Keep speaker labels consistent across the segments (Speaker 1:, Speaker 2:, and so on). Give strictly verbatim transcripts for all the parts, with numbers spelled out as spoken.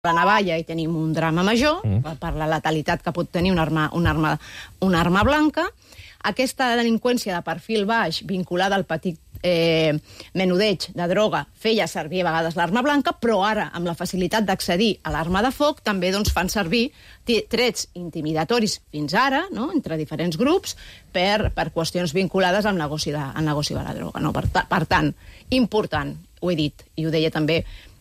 Speaker 1: la navalla i tenim un drama major, mm. per la letalitat que pot tenir una arma, una, arma, una arma blanca. Aquesta delinqüència de perfil baix, vinculada al petit eh, menudeig de droga, feia servir a vegades l'arma blanca, però ara, amb la facilitat d'accedir a l'arma de foc, també doncs, fan servir trets intimidatoris fins ara, no?, entre diferents grups, per, per qüestions vinculades al negoci de, al negoci de la droga. No? Per, per tant, important, ho he dit, i ho deia també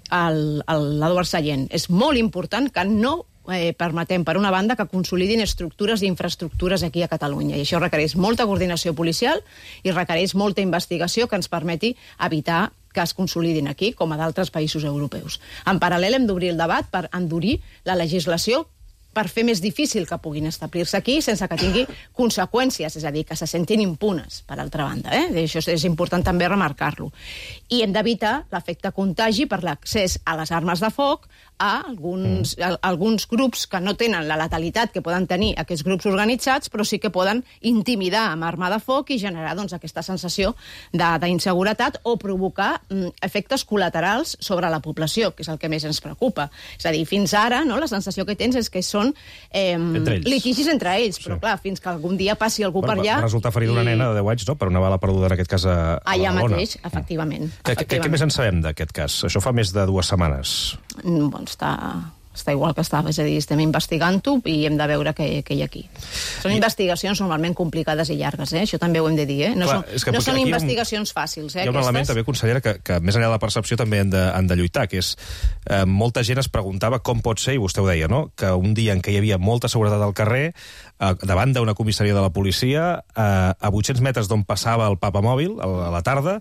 Speaker 1: l'Eduard Sallent, és molt important que no eh, permetem, per una banda, que consolidin estructures i infraestructures aquí a Catalunya. I això requereix molta coordinació policial i requereix molta investigació que ens permeti evitar que es consolidin aquí, com a d'altres països europeus. En paral·lel, hem d'obrir el debat per endurir la legislació per fer més difícil que puguin establir-se aquí sense que tingui conseqüències, és a dir, que se sentin impunes, per altra banda. Eh? Això és important també remarcar-lo. I hem d'evitar l'efecte contagi per l'accés a les armes de foc a alguns, mm. a, alguns grups que no tenen la letalitat que poden tenir aquests grups organitzats, però sí que poden intimidar amb arma de foc i generar doncs, aquesta sensació d'inseguretat o provocar mm, efectes col·laterals sobre la població, que és el que més ens preocupa. És a dir, fins ara, no, la sensació que tens és que són eh, entre litigis entre ells, però sí. clar, fins que algun dia passi algú bueno, per allà...
Speaker 2: Va resultar ferida una i... nena de deu anys, no?, per una bala perduda, en aquest cas, a, a
Speaker 1: allà
Speaker 2: Badalona.
Speaker 1: Mateix, efectivament.
Speaker 2: Què, efectivament. Què més en sabem d'aquest cas? Això fa més de dues setmanes.
Speaker 1: Bon, està, està igual que estava, és a dir, estem investigant-ho i hem de veure què, què hi ha aquí. Són I... investigacions normalment complicades i llargues, eh? Això també ho hem de dir, eh? No Clar, són, no són investigacions fàcils, eh?
Speaker 2: Hi ha un
Speaker 1: aquestes.
Speaker 2: element també, consellera, que, que més enllà de la percepció també han de, han de lluitar, que és eh, molta gent es preguntava com pot ser, i vostè ho deia, no?, que un dia en què hi havia molta seguretat al carrer, eh, davant d'una comissaria de la policia, eh, a vuit-cents metres d'on passava el papamòbil, a la tarda,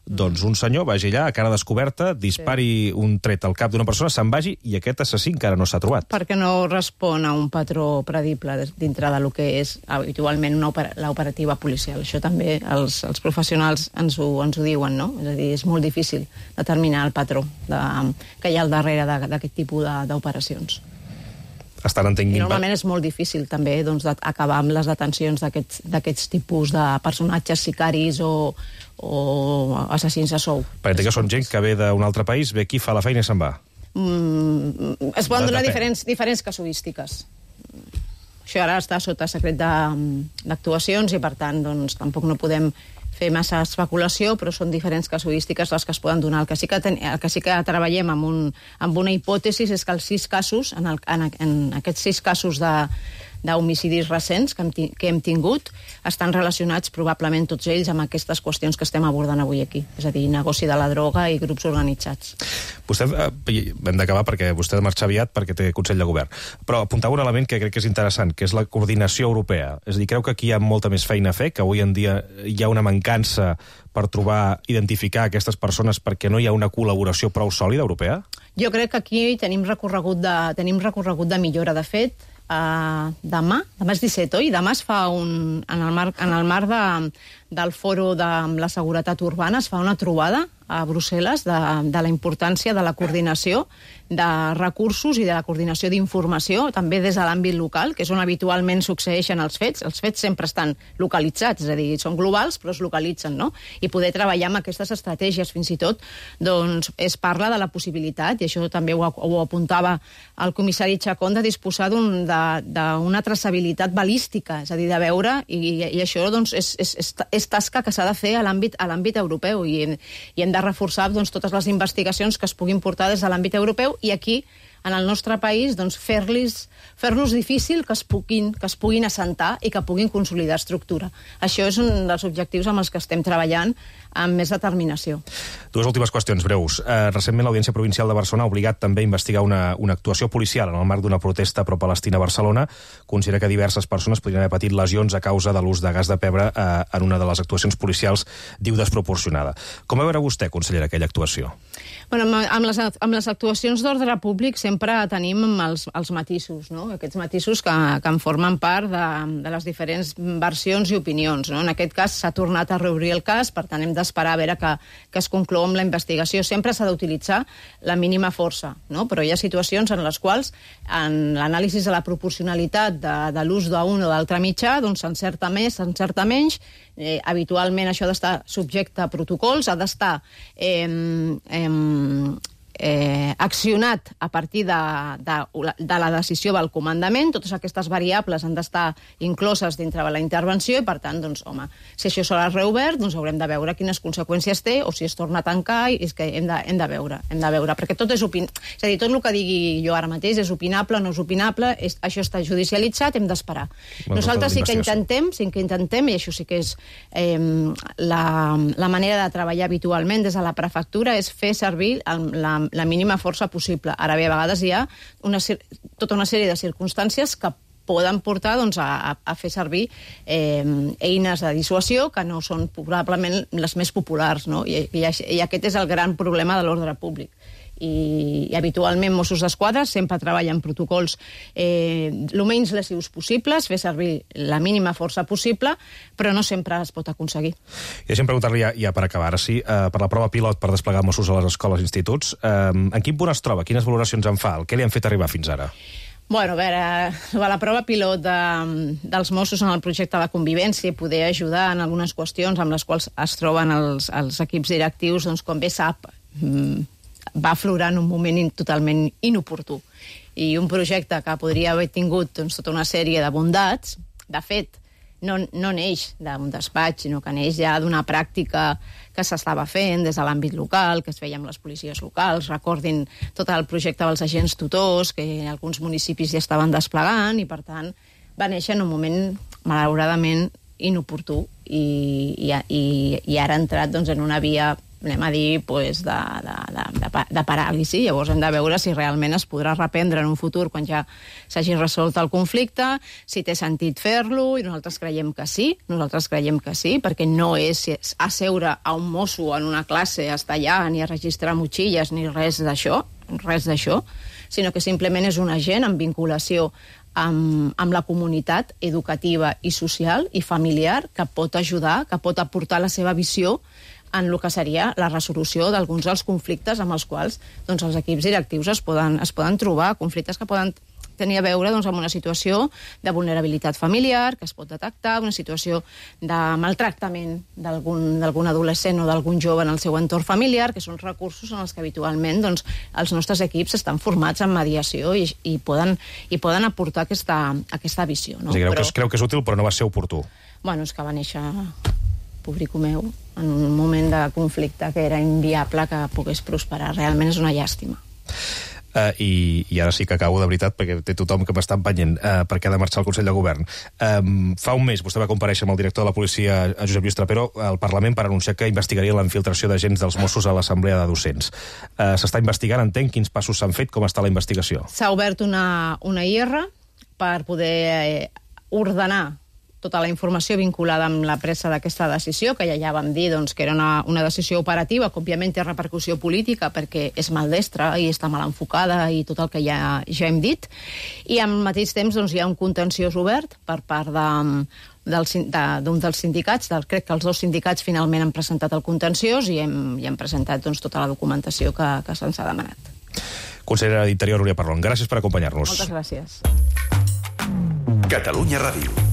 Speaker 2: doncs un senyor vagi allà, a cara descoberta, dispari sí. un tret al cap d'una persona, se'n vagi, i aquest assassí encara no s'ha trobat.
Speaker 1: Perquè no respon a un patró predible dintre del que és habitualment l'operativa policial. Això també els, els professionals ens ho, ens ho diuen, no? És a dir, és molt difícil determinar el patró de, que hi ha al darrere d'aquest tipus d'operacions.
Speaker 2: Estan entenguint...
Speaker 1: I normalment és molt difícil també doncs, acabar amb les detencions d'aquests tipus de personatges sicaris o, o assassins a sou.
Speaker 2: Perquè que són gent que ve d'un altre país, ve aquí, fa la feina i se'n va.
Speaker 1: Mm, es poden donar diferents, diferents casuístiques. Això ara està sota secret d'actuacions i, per tant, doncs, tampoc no podem fer massa especulació, però són diferents casuístiques les que es poden donar. El que sí que, ten, el que, sí que treballem amb, un, amb una hipòtesi és que els sis casos, en, el, en, en aquests sis casos de d'homicidis recents que hem, que hem tingut, estan relacionats probablement tots ells amb aquestes qüestions que estem abordant avui aquí. És a dir, negoci de la droga i grups organitzats.
Speaker 2: Vostè, eh, hem d'acabar perquè vostè ha de marxar aviat perquè té Consell de Govern, però apuntava un element que crec que és interessant, que és la coordinació europea. És a dir, creu que aquí hi ha molta més feina a fer, que avui en dia hi ha una mancança per trobar, identificar aquestes persones perquè no hi ha una col·laboració prou sòlida europea? Jo
Speaker 1: crec que aquí tenim recorregut de, tenim recorregut de millora. De fet, Uh, demà, demà és disset, oi? Demà es fa un... En el marc, en el marc de, del foro de la seguretat urbana es fa una trobada a Brussel·les de, de la importància de la coordinació de recursos i de la coordinació d'informació, també des de l'àmbit local, que és on habitualment succeeixen els fets. Els fets sempre estan localitzats, és a dir, són globals, però es localitzen, no? I poder treballar amb aquestes estratègies, fins i tot, doncs, es parla de la possibilitat, i això també ho, ho apuntava el comissari Chacón, de disposar d'una traçabilitat balística, és a dir, de veure, i, i això doncs, és, és, és, és tasca que s'ha de fer a l'àmbit europeu, i, i hem de reforçar doncs, totes les investigacions que es puguin portar des de l'àmbit europeu, i aquí, en el nostre país, doncs, fer-los fer-los difícil que es, puguin, que es puguin assentar i que puguin consolidar estructura. Això és un dels objectius amb els que estem treballant amb més determinació.
Speaker 2: Dues últimes qüestions breus. Eh, recentment l'Audiència Provincial de Barcelona ha obligat també a investigar una, una actuació policial en el marc d'una protesta pro-palestina a Barcelona. Considera que diverses persones podrien haver patit lesions a causa de l'ús de gas de pebre eh, en una de les actuacions policials, diu, desproporcionada. Com va veure vostè, consellera, aquella actuació?
Speaker 1: Bueno, amb, les, amb les actuacions d'ordre públic sempre tenim els, els matisos, no? Aquests matisos que, que en formen part de, de les diferents versions i opinions, no? En aquest cas s'ha tornat a reobrir el cas, per tant hem d'esperar a veure que, que es conclou amb la investigació. Sempre s'ha d'utilitzar la mínima força, no? Però hi ha situacions en les quals en l'anàlisi de la proporcionalitat de, de l'ús d'un o d'altre mitjà doncs s'encerta més, s'encerta menys. Eh, habitualment això ha d'estar subjecte a protocols, ha d'estar eh, eh, eh, accionat a partir de, de, de la decisió del comandament. Totes aquestes variables han d'estar incloses dintre de la intervenció i, per tant, doncs, home, si això serà reobert, doncs haurem de veure quines conseqüències té o si es torna a tancar, i és que hem de, hem de veure, hem de veure, perquè tot és opin... És a dir, tot el que digui jo ara mateix és opinable, no és opinable, és, això està judicialitzat, hem d'esperar. Nosaltres sí que intentem, sí que intentem, i això sí que és eh, la, la manera de treballar habitualment des de la prefectura, és fer servir el, la, la mínima força possible. Ara bé, a vegades hi ha una, tota una sèrie de circumstàncies que poden portar doncs, a, a fer servir eh, eines de dissuasió que no són probablement les més populars, no? I, i, i aquest és el gran problema de l'ordre públic. I, i habitualment Mossos d'Esquadra sempre treballen protocols eh, el menys lesius possibles, fer servir la mínima força possible, però no sempre es pot aconseguir.
Speaker 2: I deixem preguntar-li ja, ja per acabar, ara sí, eh, per la prova pilot per desplegar Mossos a les escoles i instituts, eh, en quin punt es troba? Quines valoracions en fa? Què li han fet arribar fins ara?
Speaker 1: Bueno, a veure, la prova pilot de, dels Mossos en el projecte de convivència i poder ajudar en algunes qüestions amb les quals es troben els, els equips directius, doncs, com bé sap, va aflorar en un moment in, totalment inoportú. I un projecte que podria haver tingut doncs, tota una sèrie de bondats, de fet, no, no neix d'un despatx, sinó que neix ja d'una pràctica que s'estava fent des de l'àmbit local, que es feia amb les policies locals. Recordin tot el projecte dels agents tutors, que alguns municipis ja estaven desplegant, i per tant va néixer en un moment, malauradament, inoportú, i, i, i, i ara ha entrat doncs, en una via, anem a dir, pues, de, de, de, de paràlisi. Llavors hem de veure si realment es podrà reprendre en un futur quan ja s'hagi resolt el conflicte, si té sentit fer-lo, i nosaltres creiem que sí, nosaltres creiem que sí, perquè no és asseure a un mosso en una classe, a estar allà, ni a registrar motxilles, ni res d'això, res d'això, sinó que simplement és un agent en vinculació amb, amb la comunitat educativa i social i familiar que pot ajudar, que pot aportar la seva visió en el que seria la resolució d'alguns dels conflictes amb els quals doncs, els equips directius es poden, es poden trobar, conflictes que poden tenir a veure doncs, amb una situació de vulnerabilitat familiar, que es pot detectar, una situació de maltractament d'algun adolescent o d'algun jove en el seu entorn familiar, que són recursos en els que habitualment doncs, els nostres equips estan formats en mediació i, i, poden, i poden aportar aquesta, aquesta visió. No?
Speaker 2: O sigui, creu,
Speaker 1: però...
Speaker 2: que és, creu que és útil, però no va ser oportú.
Speaker 1: Bueno, és que va néixer... pobrico meu, en un moment de conflicte que era inviable que pogués prosperar. Realment és una llàstima.
Speaker 2: Uh, i, I ara sí que acabo de veritat, perquè té tothom que m'està empenyent, uh, perquè ha de marxar al Consell de Govern. Um, fa un mes vostè va comparèixer amb el director de la policia, Josep Lluís Trapero, al Parlament per anunciar que investigaria la infiltració d'agents dels Mossos a l'Assemblea de Docents. Uh, S'està investigant, entenc, quins passos s'han fet, com està la investigació?
Speaker 1: S'ha obert una, una I R per poder eh, ordenar tota la informació vinculada amb la presa d'aquesta decisió, que ja ja vam dir doncs, que era una, una decisió operativa, que òbviament té repercussió política perquè és maldestra i està mal enfocada i tot el que ja, ja hem dit. I al mateix temps doncs, hi ha un contenciós obert per part de, del, de, d'un dels sindicats, del, crec que els dos sindicats finalment han presentat el contenciós i hem, i hem presentat doncs, tota la documentació que, que se'ns ha demanat.
Speaker 2: Consellera d'Interior, Núria Parlon, gràcies per acompanyar-nos.
Speaker 1: Moltes gràcies.
Speaker 3: Catalunya Ràdio.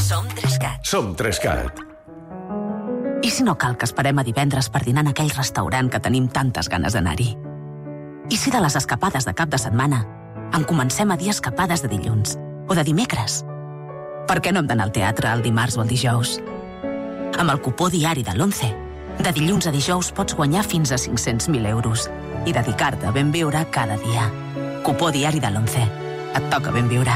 Speaker 4: Som Trescat.
Speaker 3: Som Trescat.
Speaker 4: I si no cal que esperem a divendres per dinar en aquell restaurant que tenim tantes ganes d'anar-hi? I si de les escapades de cap de setmana en comencem a dir escapades de dilluns o de dimecres? Per què no hem d'anar al teatre el dimarts o el dijous? Amb el cupó diari de l'Once, de dilluns a dijous pots guanyar fins a cinc-cents mil euros i dedicar-te a ben viure cada dia. Cupó diari de l'Once. Et toca ben viure.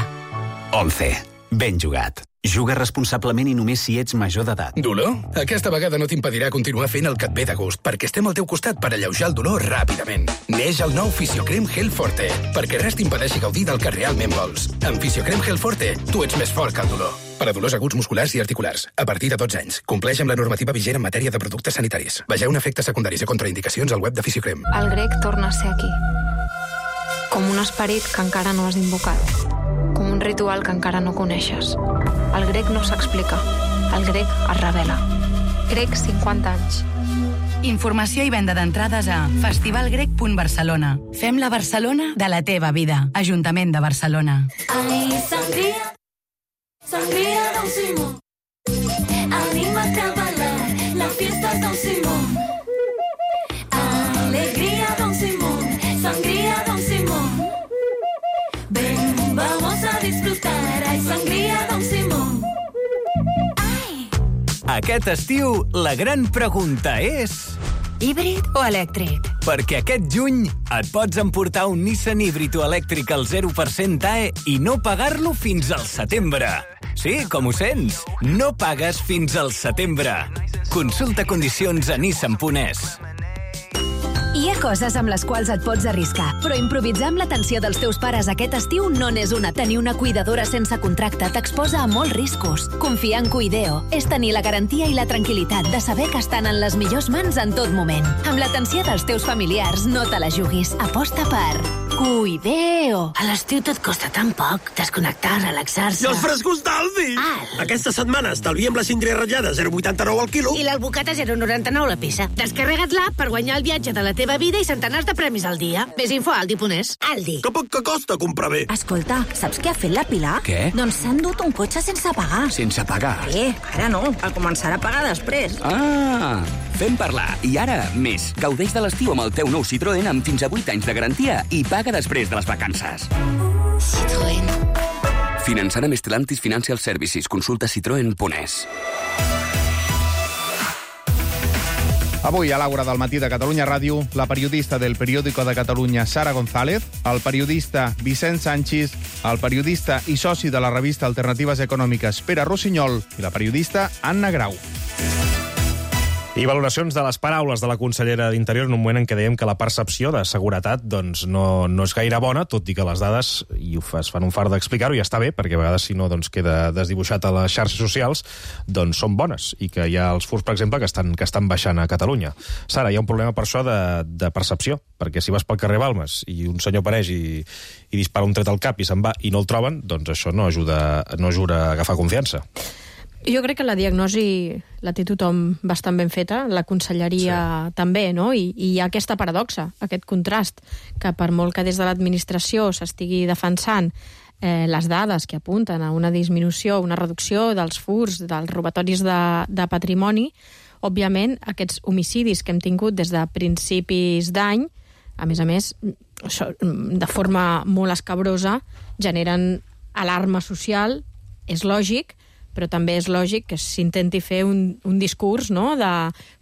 Speaker 5: Once. Ben jugat. Juga responsablement i només si ets major d'edat.
Speaker 6: Dolor? Aquesta vegada no t'impedirà continuar fent el que et ve de gust, perquè estem al teu costat per alleujar el dolor ràpidament. Neix el nou Fisiocrem Gel Forte, perquè res t'impedeixi gaudir del que realment vols. Amb Fisiocrem Gel Forte, tu ets més fort que el dolor. Per a dolors aguts musculars i articulars, a partir de dotze anys. Compleix amb la normativa vigent en matèria de productes sanitaris. Vegeu efectes secundaris i contraindicacions al web de Fisiocrem.
Speaker 7: El grec torna a ser aquí. Com un esperit que encara no has invocat. Com un ritual que encara no coneixes. El grec no s'explica. El grec es revela. Grec cinquanta anys.
Speaker 8: Informació i venda d'entrades a festivalgrec punt barcelona. Fem la Barcelona de la teva vida. Ajuntament de Barcelona.
Speaker 9: Ahí sangría, sangría Don Simón. Anímate a bailar, la fiesta Don Simón. Alegría Don Simón. Ven, vamos a disfrutar, hay sangría Don Simón.
Speaker 5: Aquest estiu, la gran pregunta és...
Speaker 3: Híbrid o elèctric?
Speaker 5: Perquè aquest juny et pots emportar un Nissan híbrid o elèctric al zero per cent A E i no pagar-lo fins al setembre. Sí, com ho sents? No pagues fins al setembre. Consulta condicions a nissan punt es.
Speaker 3: Hi ha coses amb les quals et pots arriscar, però improvisar amb l'atenció dels teus pares aquest estiu no n'és una. Tenir una cuidadora sense contracte t'exposa a molts riscos. Confiar en Cuideo és tenir la garantia i la tranquil·litat de saber que estan en les millors mans en tot moment. Amb l'atenció dels teus familiars, no te la juguis. Aposta per Cuideo.
Speaker 10: A l'estiu tot costa tan poc. Desconnectar, relaxar-se...
Speaker 11: I els frescos d'Aldi!
Speaker 10: Al.
Speaker 11: Aquesta setmana estalviem la síndria ratllada zero coma vuitanta-nou al quilo.
Speaker 10: I l'albocat a zero coma noranta-nou la peça. Descarrega't l'app per guanyar el viatge de la teva vida i centenars de premis al dia. Més info a aldi punt es. Aldi.
Speaker 11: Que poc que costa comprar bé.
Speaker 3: Escolta, saps què ha fet la Pilar?
Speaker 5: Què?
Speaker 3: Doncs s'ha endut un cotxe sense pagar.
Speaker 5: Sense pagar?
Speaker 3: Eh, ara no. El començarà a pagar després.
Speaker 5: Ah, fem parlar. I ara, més. Gaudeix de l'estiu amb el teu nou Citroën amb fins a vuit anys de garantia i paga després de les vacances.
Speaker 10: Citroën.
Speaker 5: Finançant amb Stellantis Financial Services. Consulta citroen punt es.
Speaker 12: Avui, a l'Àgora del matí de Catalunya Ràdio, la periodista del Periódico de Catalunya, Sara González, el periodista Vicent Sanchis, el periodista i soci de la revista Alternatives Econòmiques, Pere Rossinyol, i la periodista Anna Grau.
Speaker 2: I valoracions de les paraules de la consellera d'Interior en un moment en què dèiem que la percepció de seguretat doncs, no, no és gaire bona, tot i que les dades, i ho es fan un fart d'explicar-ho, i està bé, perquè a vegades si no doncs, queda desdibuixat a les xarxes socials, doncs són bones, i que hi ha els furs, per exemple, que estan, que estan baixant a Catalunya. Sara, hi ha un problema per això de, de percepció, perquè si vas pel carrer Balmes i un senyor apareix i, i dispara un tret al cap i se'n va i no el troben, doncs això no ajuda, no ajuda a agafar confiança.
Speaker 13: Jo crec que la diagnosi la té tothom bastant ben feta, la conselleria sí. també, no? I, I hi ha aquesta paradoxa, aquest contrast, que per molt que des de l'administració s'estigui defensant eh, les dades que apunten a una disminució, una reducció dels furs, dels robatoris de, de patrimoni, òbviament aquests homicidis que hem tingut des de principis d'any, a més a més, de forma molt escabrosa, generen alarma social, és lògic, però també és lògic que s'intenti fer un, un discurs, no?, de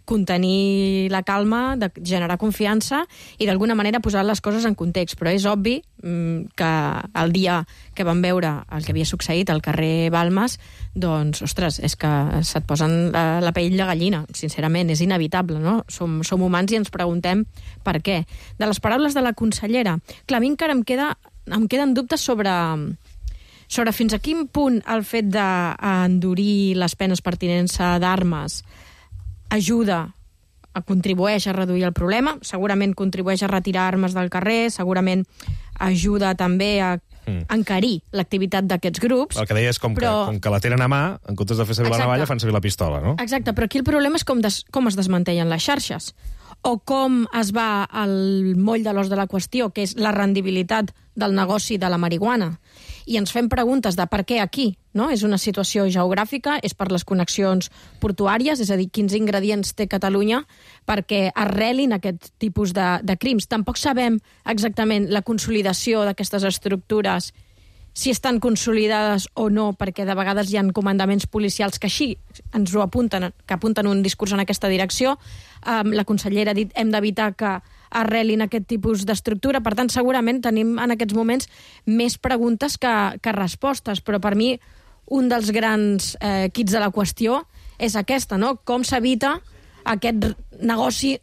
Speaker 13: contenir la calma, de generar confiança i d'alguna manera posar les coses en context. Però és obvi mmm, que el dia que vam veure el que havia succeït al carrer Balmes, doncs, ostres, és que se't posen la, la pell de gallina, sincerament, és inevitable, no? Som, som humans i ens preguntem per què. De les paraules de la consellera, clar, a mi encara em, queda, em queden dubtes sobre... sobre fins a quin punt el fet d'endurir les penes pertinents d'armes ajuda, a contribueix a reduir el problema, segurament contribueix a retirar armes del carrer, segurament ajuda també a encarir l'activitat d'aquests grups.
Speaker 2: El que deia és com, però... que, com que la tenen a mà, en comptes de fer servir Exacte. la navalla, fan servir la pistola, no?
Speaker 13: Exacte, però aquí el problema és com, des, com es desmantellen les xarxes, o com es va al moll de l'os de la qüestió, que és la rendibilitat del negoci de la marihuana. I ens fem preguntes de per què aquí, no? És una situació geogràfica, és per les connexions portuàries, és a dir, quins ingredients té Catalunya perquè arrelin aquest tipus de, de crims. Tampoc sabem exactament la consolidació d'aquestes estructures, si estan consolidades o no, perquè de vegades hi ha comandaments policials que així ens ho apunten, que apunten un discurs en aquesta direcció. Um, la consellera ha dit hem d'evitar que arrelin aquest tipus d'estructura. Per tant, segurament tenim en aquests moments més preguntes que, que respostes, però per mi un dels grans eh, quits de la qüestió és aquesta, no? Com s'evita aquest negoci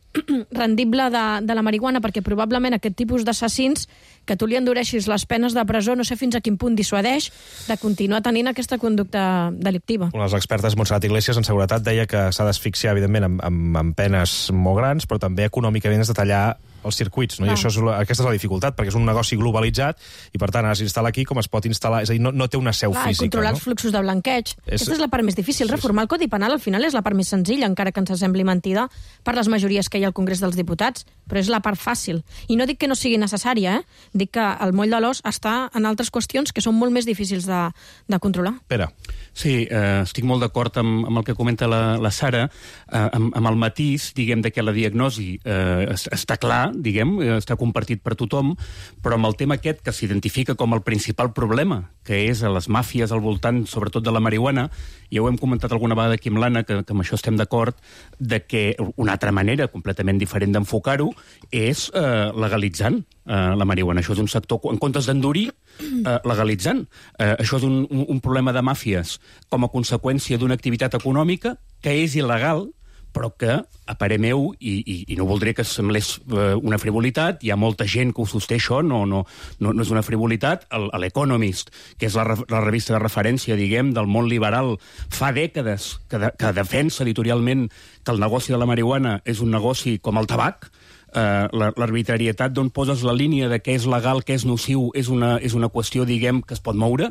Speaker 13: rendible de, de la marihuana, perquè probablement aquest tipus d'assassins, que tu li endureixis les penes de presó, no sé fins a quin punt dissuadeix de continuar tenint aquesta conducta delictiva.
Speaker 2: Una de les expertes, Montserrat Iglesias, en seguretat, deia que s'ha d'asfixiar, evidentment, amb, amb, amb penes molt grans, però també econòmicament és de tallar els circuits, no? I això és la, aquesta és la dificultat, perquè és un negoci globalitzat i, per tant, ara s'instal·la aquí com es pot instal·lar, és a dir, no, no té una seu
Speaker 13: Clar,
Speaker 2: física.
Speaker 13: Controlar
Speaker 2: no?
Speaker 13: els fluxos de blanqueig.
Speaker 2: És...
Speaker 13: Aquesta és la part més difícil. Sí, Reformar el Codi Penal, al final, és la part més senzilla, encara que ens sembli mentida, per les majories que hi ha al Congrés dels Diputats, però és la part fàcil. I no dic que no sigui necessària, eh? Dic que el moll de l'os està en altres qüestions que són molt més difícils de, de controlar.
Speaker 2: Pere.
Speaker 14: Sí, eh, estic molt d'acord amb, amb el que comenta la, la Sara, eh, amb, amb el matís, diguem, de que la diagnosi eh, està clar, està, diguem, està compartit per tothom, però amb el tema aquest que s'identifica com el principal problema, que és a les màfies al voltant, sobretot de la marihuana, ja ho hem comentat alguna vegada aquí amb l'Anna, que, que amb això estem d'acord, de que una altra manera completament diferent d'enfocar-ho és eh, legalitzant eh, la marihuana. Això és un sector, en comptes d'endurir, eh, legalitzant. Eh, això és un, un, un problema de màfies com a conseqüència d'una activitat econòmica que és il·legal, però que, a parer meu, i, i, i no voldré que semblés eh, una frivolitat, hi ha molta gent que ho sosté això, no, no, no, no és una frivolitat, l'Economist, que és la, la revista de referència, diguem, del món liberal, fa dècades que, de, que defensa editorialment que el negoci de la marihuana és un negoci com el tabac, Uh, l'arbitrarietat d'on poses la línia de què és legal, què és nociu, és una, és una qüestió, diguem, que es pot moure,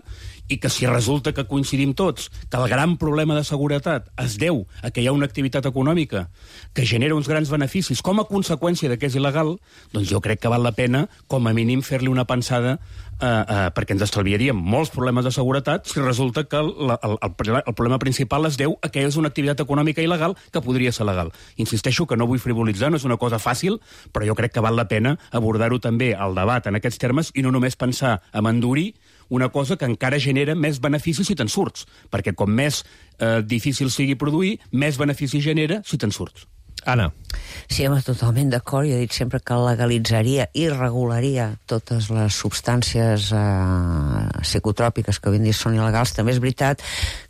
Speaker 14: i que si resulta que coincidim tots que el gran problema de seguretat es deu a que hi ha una activitat econòmica que genera uns grans beneficis com a conseqüència de que és il·legal, doncs jo crec que val la pena, com a mínim, fer-li una pensada uh, uh, perquè ens estalviaríem molts problemes de seguretat si resulta que el, el, el, el problema principal es deu a que és una activitat econòmica il·legal que podria ser legal. Insisteixo que no vull frivolitzar, no és una cosa fàcil, però jo crec que val la pena abordar-ho també al debat en aquests termes i no només pensar en endurir una cosa que encara genera més beneficis si te'n surts, perquè com més eh, difícil sigui produir, més benefici genera si te'n surts.
Speaker 2: Anna.
Speaker 15: Sí, home, totalment d'acord. Jo he dit sempre que legalitzaria i regularia totes les substàncies eh, psicotròpiques que avui en dia són il·legals. També és veritat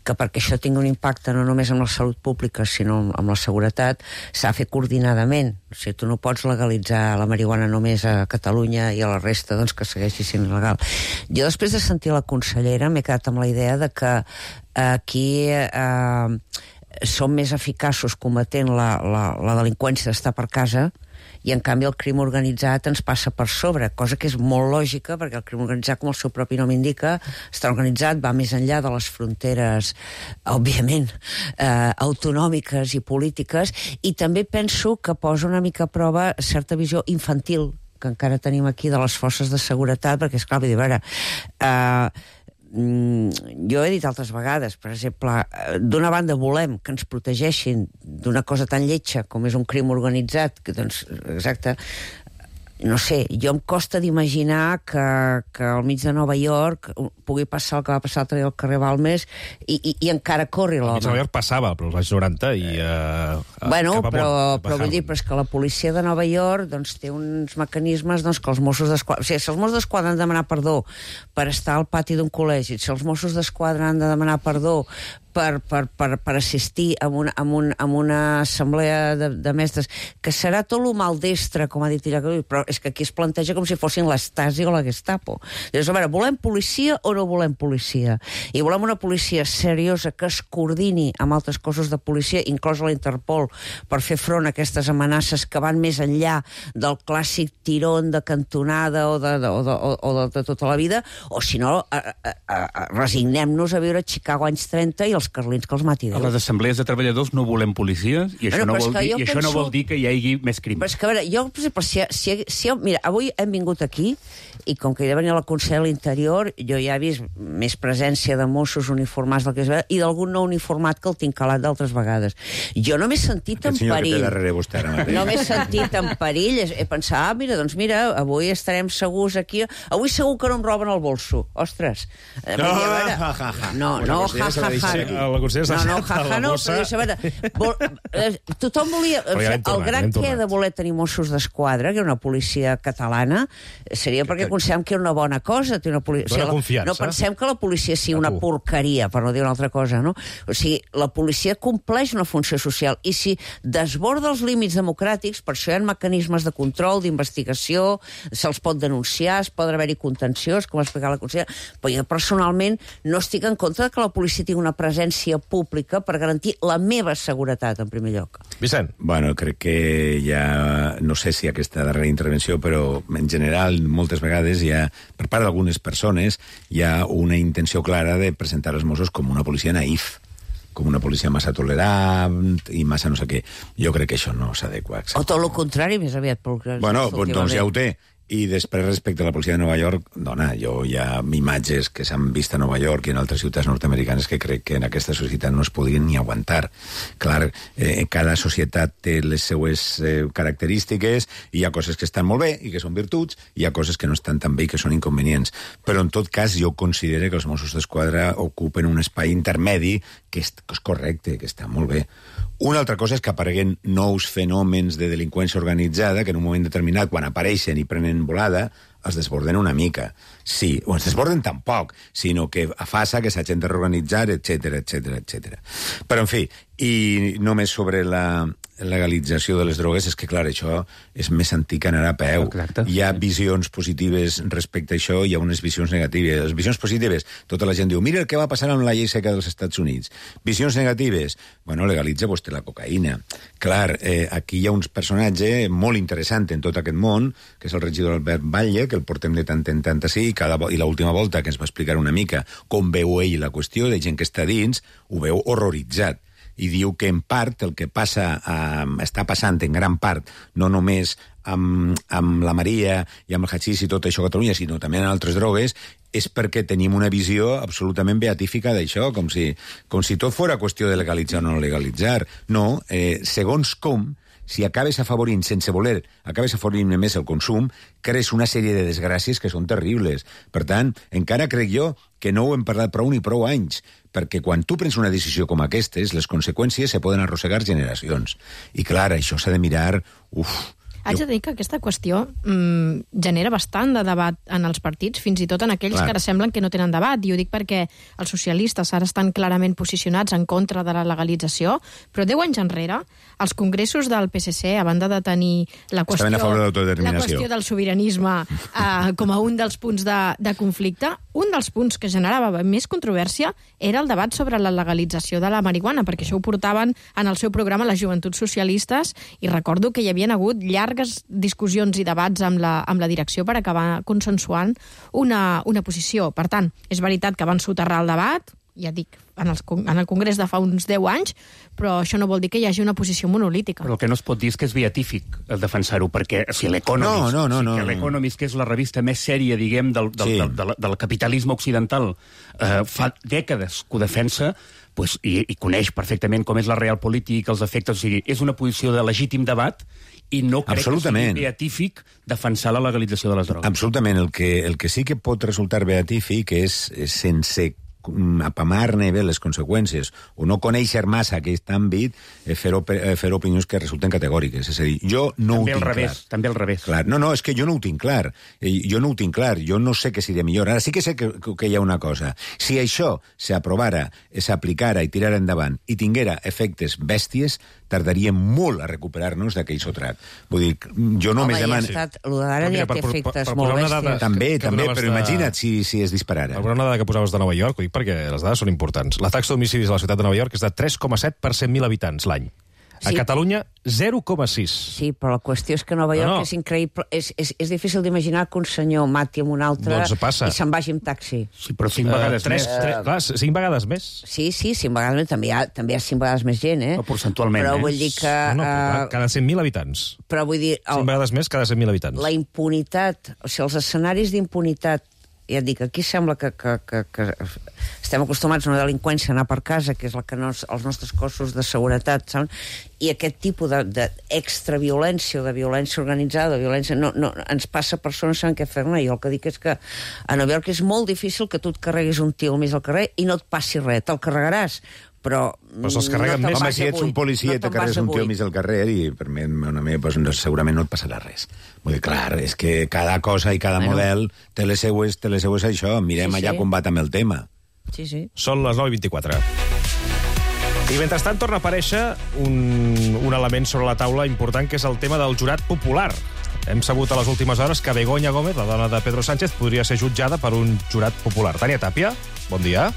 Speaker 15: que perquè això tingui un impacte no només en la salut pública, sinó amb la seguretat, s'ha de fer coordinadament. O sigui, tu no pots legalitzar la marihuana només a Catalunya i a la resta doncs, que segueixi sent il·legal. Jo, després de sentir la consellera, m'he quedat amb la idea de que aquí... Eh, som més eficaços combatent la, la, la delinqüència d'estar per casa i, en canvi, el crim organitzat ens passa per sobre, cosa que és molt lògica, perquè el crim organitzat, com el seu propi nom indica, està organitzat, va més enllà de les fronteres, òbviament, eh, autonòmiques i polítiques, i també penso que posa una mica a prova certa visió infantil que encara tenim aquí de les forces de seguretat, perquè, esclar, vull dir, a veure... Eh, jo he dit altres vegades, per exemple, d'una banda volem que ens protegeixin d'una cosa tan lletja com és un crim organitzat, que doncs, exacte, no sé, jo em costa d'imaginar que, que al mig de Nova York pugui passar el que va passar l'altre dia al carrer Balmes i, i, i encara corri l'home.
Speaker 2: Al mig de Nova York passava, però als anys noranta i... Uh,
Speaker 15: bueno, però, però vull dir, però és que la policia de Nova York doncs, té uns mecanismes doncs, que els Mossos d'Esquadra... O sigui, si els Mossos d'Esquadra han de demanar perdó per estar al pati d'un col·legi, si els Mossos d'Esquadra han de demanar perdó per, per, per, per assistir a una, a un, a una assemblea de, de mestres, que serà tot lo maldestre, com ha dit ella, però és que aquí es planteja com si fossin l'Stasi o la Gestapo. Llavors, a veure, volem policia o no volem policia? I volem una policia seriosa que es coordini amb altres cossos de policia, inclòs la Interpol, per fer front a aquestes amenaces que van més enllà del clàssic tirón de cantonada o de, de, o de, o de, de tota la vida, o si no, resignem-nos a viure a Chicago anys trenta i els carlins que els mati Déu.
Speaker 14: A les assemblees de treballadors no volem policies i això, bueno, no, vol dir, i penso... això no vol dir que hi hagi més crim.
Speaker 15: Però és que, a veure, jo, per exemple, si, si, si, mira, avui hem vingut aquí i com que hi ha de venir la consellera de l'Interior, jo ja he vist més presència de Mossos uniformats del que és i d'algun no uniformat que el tinc calat d'altres vegades. Jo no m'he sentit en perill.
Speaker 16: Vostè, ara
Speaker 15: no m'he sentit en perill. He pensat, ah, mira, doncs mira, avui estarem segurs aquí. Avui segur que no em roben el bolso. Ostres.
Speaker 16: No, ja, ja, ja.
Speaker 15: No, no, ja, ja, ja.
Speaker 2: La consellera s'ha
Speaker 15: no, no, ja, ja, no, però, a veure, vol, eh, tothom volia... O sigui, el gran què de voler tenir Mossos d'Esquadra, que era una policia catalana, seria perquè considerem que era una bona cosa. Una policia, o sigui, la, no pensem que la policia sigui una porqueria, per no dir una altra cosa, no? O sigui, la policia compleix una funció social i si desborda els límits democràtics, per això hi ha mecanismes de control, d'investigació, se'ls pot denunciar, es pot haver-hi contenciós, com ha explicat la consellera, però jo personalment no estic en contra que la policia tingui una presència pública per garantir la meva seguretat, en primer lloc.
Speaker 2: Vicent.
Speaker 16: Bueno, crec que ja... No sé si aquesta darrera intervenció, però en general, moltes vegades hi ha, per part d'algunes persones, hi ha una intenció clara de presentar els Mossos com una policia naïf, com una policia massa tolerant i massa no sé què. Jo crec que això no s'adequa.
Speaker 15: O tot el contrari, més aviat.
Speaker 16: Bueno, doncs ja ho té. I després, respecte a la policia de Nova York, dona, jo hi ha imatges que s'han vist a Nova York i en altres ciutats nord-americanes que crec que en aquesta societat no es podien ni aguantar. Clar, eh, cada societat té les seues eh, característiques, i hi ha coses que estan molt bé i que són virtuts, i hi ha coses que no estan tan bé i que són inconvenients. Però, en tot cas, jo considero que els Mossos d'Esquadra ocupen un espai intermedi que és, que és correcte, que està molt bé. Una altra cosa és que apareguen nous fenòmens de delinqüència organitzada que en un moment determinat, quan apareixen i prenen volada, es desborden una mica. Sí, o es desborden tampoc, sinó que afasa que s'hagin de reorganitzar, etcètera, etcètera, etcètera. Però, en fi, i només sobre la legalització de les drogues, és que, clar, això és més antic que anar a peu. Exacte. Hi ha visions positives respecte a això, hi ha unes visions negatives. Les visions positives, tota la gent diu, mira el que va passar amb la llei seca dels Estats Units. Visions negatives, bueno, legalitza vostè la cocaïna. Clar, eh, aquí hi ha un personatge molt interessant en tot aquest món, que és el regidor Albert Batlle, que el portem de tant en tant així, i, cada, i l'última volta que ens va explicar una mica com veu ell la qüestió, de gent que està dins, ho veu horroritzat. I diu que en part el que passa, eh, està passant en gran part, no només amb, amb la Maria i amb el hachís i tot això a Catalunya, sinó també en altres drogues, és perquè tenim una visió absolutament beatífica d'això, com si, com si tot fora qüestió de legalitzar o no legalitzar. No, eh, segons com, si acabes afavorint, sense voler, acabes afavorint més el consum, crees una sèrie de desgràcies que són terribles. Per tant, encara crec jo que no ho hem parlat prou ni prou anys, perquè quan tu prens una decisió com aquestes, les conseqüències se poden arrossegar generacions. I clar, això s'ha de mirar... Uf,
Speaker 13: Haig de dir que aquesta qüestió mmm, genera bastant de debat en els partits, fins i tot en aquells Clar. que ara semblen que no tenen debat. I ho dic perquè els socialistes ara estan clarament posicionats en contra de la legalització, però deu anys enrere, els congressos del P S C, a banda de tenir la qüestió,
Speaker 16: de
Speaker 13: la qüestió del sobiranisme eh, com a un dels punts de, de conflicte, un dels punts que generava més controvèrsia era el debat sobre la legalització de la marihuana, perquè això ho portaven en el seu programa les joventuts socialistes, i recordo que hi havien hagut llargues discussions i debats amb la, amb la direcció per acabar consensuant una, una posició. Per tant, és veritat que van soterrar el debat, ja dic, en, els, en el Congrés de fa uns deu anys, però això no vol dir que hi hagi una posició monolítica.
Speaker 14: Però el que no es pot dir és que és beatífic defensar-ho, perquè si l'Economist,
Speaker 16: no, no, no,
Speaker 14: si
Speaker 16: no,
Speaker 14: l'Economist, que és la revista més sèria, diguem, del, del, sí. del, del, del capitalisme occidental, eh, fa dècades que ho defensa, pues, i, i coneix perfectament com és la realpolitik, els efectes, o sigui, és una posició de legítim debat, i no crec que sigui beatífic defensar la legalització de les drogues.
Speaker 16: Absolutament. El que, el que sí que pot resultar beatífic és, és sense apamar-ne bé les conseqüències o no conèixer massa aquest àmbit, eh, fer, op eh, fer opinions que resulten categòriques. És a dir, jo no
Speaker 14: també
Speaker 16: ho tinc
Speaker 14: revés,
Speaker 16: clar.
Speaker 14: També al revés.
Speaker 16: Clar. No, no, és que jo no ho tinc clar. Eh, jo no ho tinc clar. Jo no sé què seria millor. Ara sí que sé que, que hi ha una cosa. Si això s'aprovara, s'aplicara i tirara endavant i tinguera efectes bèsties, tardaríem molt a recuperar-nos d'aquell sotrac. Vull dir, jo només
Speaker 15: Home,
Speaker 16: demano...
Speaker 15: Home, ja ha estat... Lo d'ara ja té efectes molt bèsties.
Speaker 16: També, també, però imagina't si, si es disparara.
Speaker 2: Alguna una dada que posaves de Nova York, ho dic perquè les dades són importants. La taxa d'homicidis a la ciutat de Nova York és de tres coma set per cent mil habitants l'any. A sí. Catalunya, zero coma sis.
Speaker 15: Sí, però la qüestió és que Nova York no, no. és increïble. És, és, és difícil d'imaginar que un senyor mati amb un altre
Speaker 2: doncs passa.
Speaker 15: I se'n vagi amb taxi.
Speaker 14: Sí, però cinc vegades
Speaker 2: uh, tres,
Speaker 14: més.
Speaker 2: Tres, clar, cinc vegades més.
Speaker 15: Sí, sí, cinc vegades més. També hi ha, també hi ha cinc vegades més gent, eh?
Speaker 14: Però percentualment,
Speaker 15: però
Speaker 14: eh?
Speaker 15: vull dir que...
Speaker 2: No, no, uh, cada cent mil habitants.
Speaker 15: Però vull dir...
Speaker 2: El, cinc vegades més cada cent mil habitants.
Speaker 15: La impunitat, o sigui, els escenaris d'impunitat, ja et dic, aquí sembla que, que, que, que estem acostumats a una delinqüència, anar per casa, que és la que nos, els nostres cossos de seguretat, saben? I aquest tipus d'extraviolència, de, de violència organitzada, de violència, no, no, ens passa a persones saben què fer-ne. Jo el que dic és que a Nova York és molt difícil que tu et carreguis un tio al mig del carrer i no et passi res, te'l carregaràs, però...
Speaker 2: Però se'ls carreguen
Speaker 15: no
Speaker 2: més.
Speaker 16: Home, si ets un policia i
Speaker 15: no
Speaker 16: te carregues un tio al mig del carrer i per mi, una mi, pues, segurament no et passarà res. Vull dir, clar, és que cada cosa i cada bueno. model té les seues, té les seues això. Mirem sí, allà sí. com va també el tema.
Speaker 15: Sí, sí.
Speaker 2: Són les nou i vint-i-quatre. I mentrestant torna a aparèixer un, un element sobre la taula important, que és el tema del jurat popular. Hem sabut a les últimes hores que Begoña Gómez, la dona de Pedro Sánchez, podria ser jutjada per un jurat popular. Tània Tàpia, bon dia.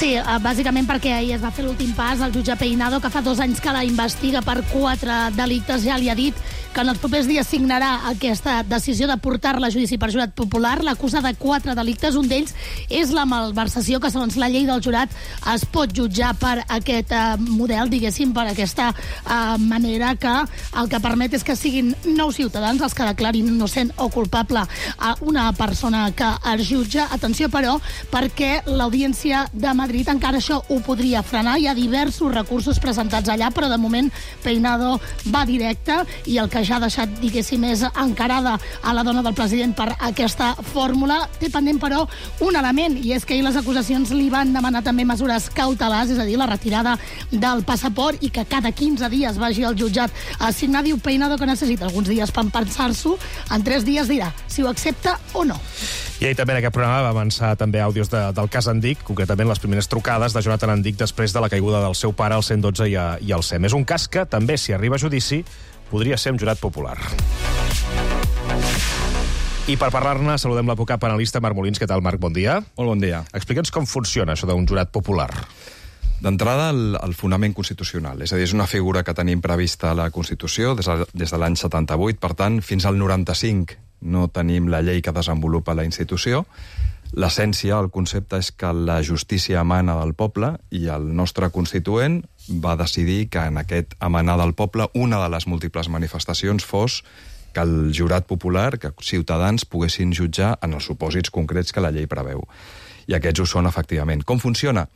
Speaker 17: Sí, bàsicament perquè ahir es va fer l'últim pas al jutge Peinado, que fa dos anys que la investiga per quatre delictes. Ja li ha dit que en els propers dies signarà aquesta decisió de portar-la a judici per jurat popular. L'acusa de quatre delictes. Un d'ells és la malversació, que segons la llei del jurat es pot jutjar per aquest eh, model, diguéssim, per aquesta eh, manera que el que permet és que siguin nou ciutadans els que declarin innocent o culpable a una persona que es jutja. Atenció, però, perquè l'Audiència de Madrid encara això ho podria frenar. Hi ha diversos recursos presentats allà, però de moment Peinado va directe i el que ja ha deixat, diguéssim, és encarada a la dona del president per aquesta fórmula. Té pendent, però, un element, i és que ahir les acusacions li van demanar també mesures cautelars, és a dir, la retirada del passaport i que cada quinze dies vagi al jutjat a signar. Diu Peinado que necessita alguns dies per pensar-s'ho. En tres dies dirà si ho accepta o no.
Speaker 2: I ahir també en aquest programa va avançar també àudios de, del cas Andic, concretament les primeres trucades de Jonathan Andic després de la caiguda del seu pare al cent dotze i, a, i al S E M. És un cas que també, si arriba a judici, podria ser un jurat popular. I per parlar-ne, saludem l'advocat penalista Marc Molins. Què tal, Marc? Bon dia.
Speaker 18: Molt bon dia.
Speaker 2: Explica'ns com funciona això d'un jurat popular.
Speaker 18: D'entrada, el, el fonament constitucional. És a dir, és una figura que tenim prevista a la Constitució des de, des de l'any setanta-vuit. Per tant, fins al noranta-cinc no tenim la llei que desenvolupa la institució. L'essència, el concepte, és que la justícia emana del poble i el nostre constituent va decidir que en aquest emanar del poble una de les múltiples manifestacions fos que el jurat popular, que ciutadans poguessin jutjar en els supòsits concrets que la llei preveu. I aquests ho són, efectivament. Com funciona?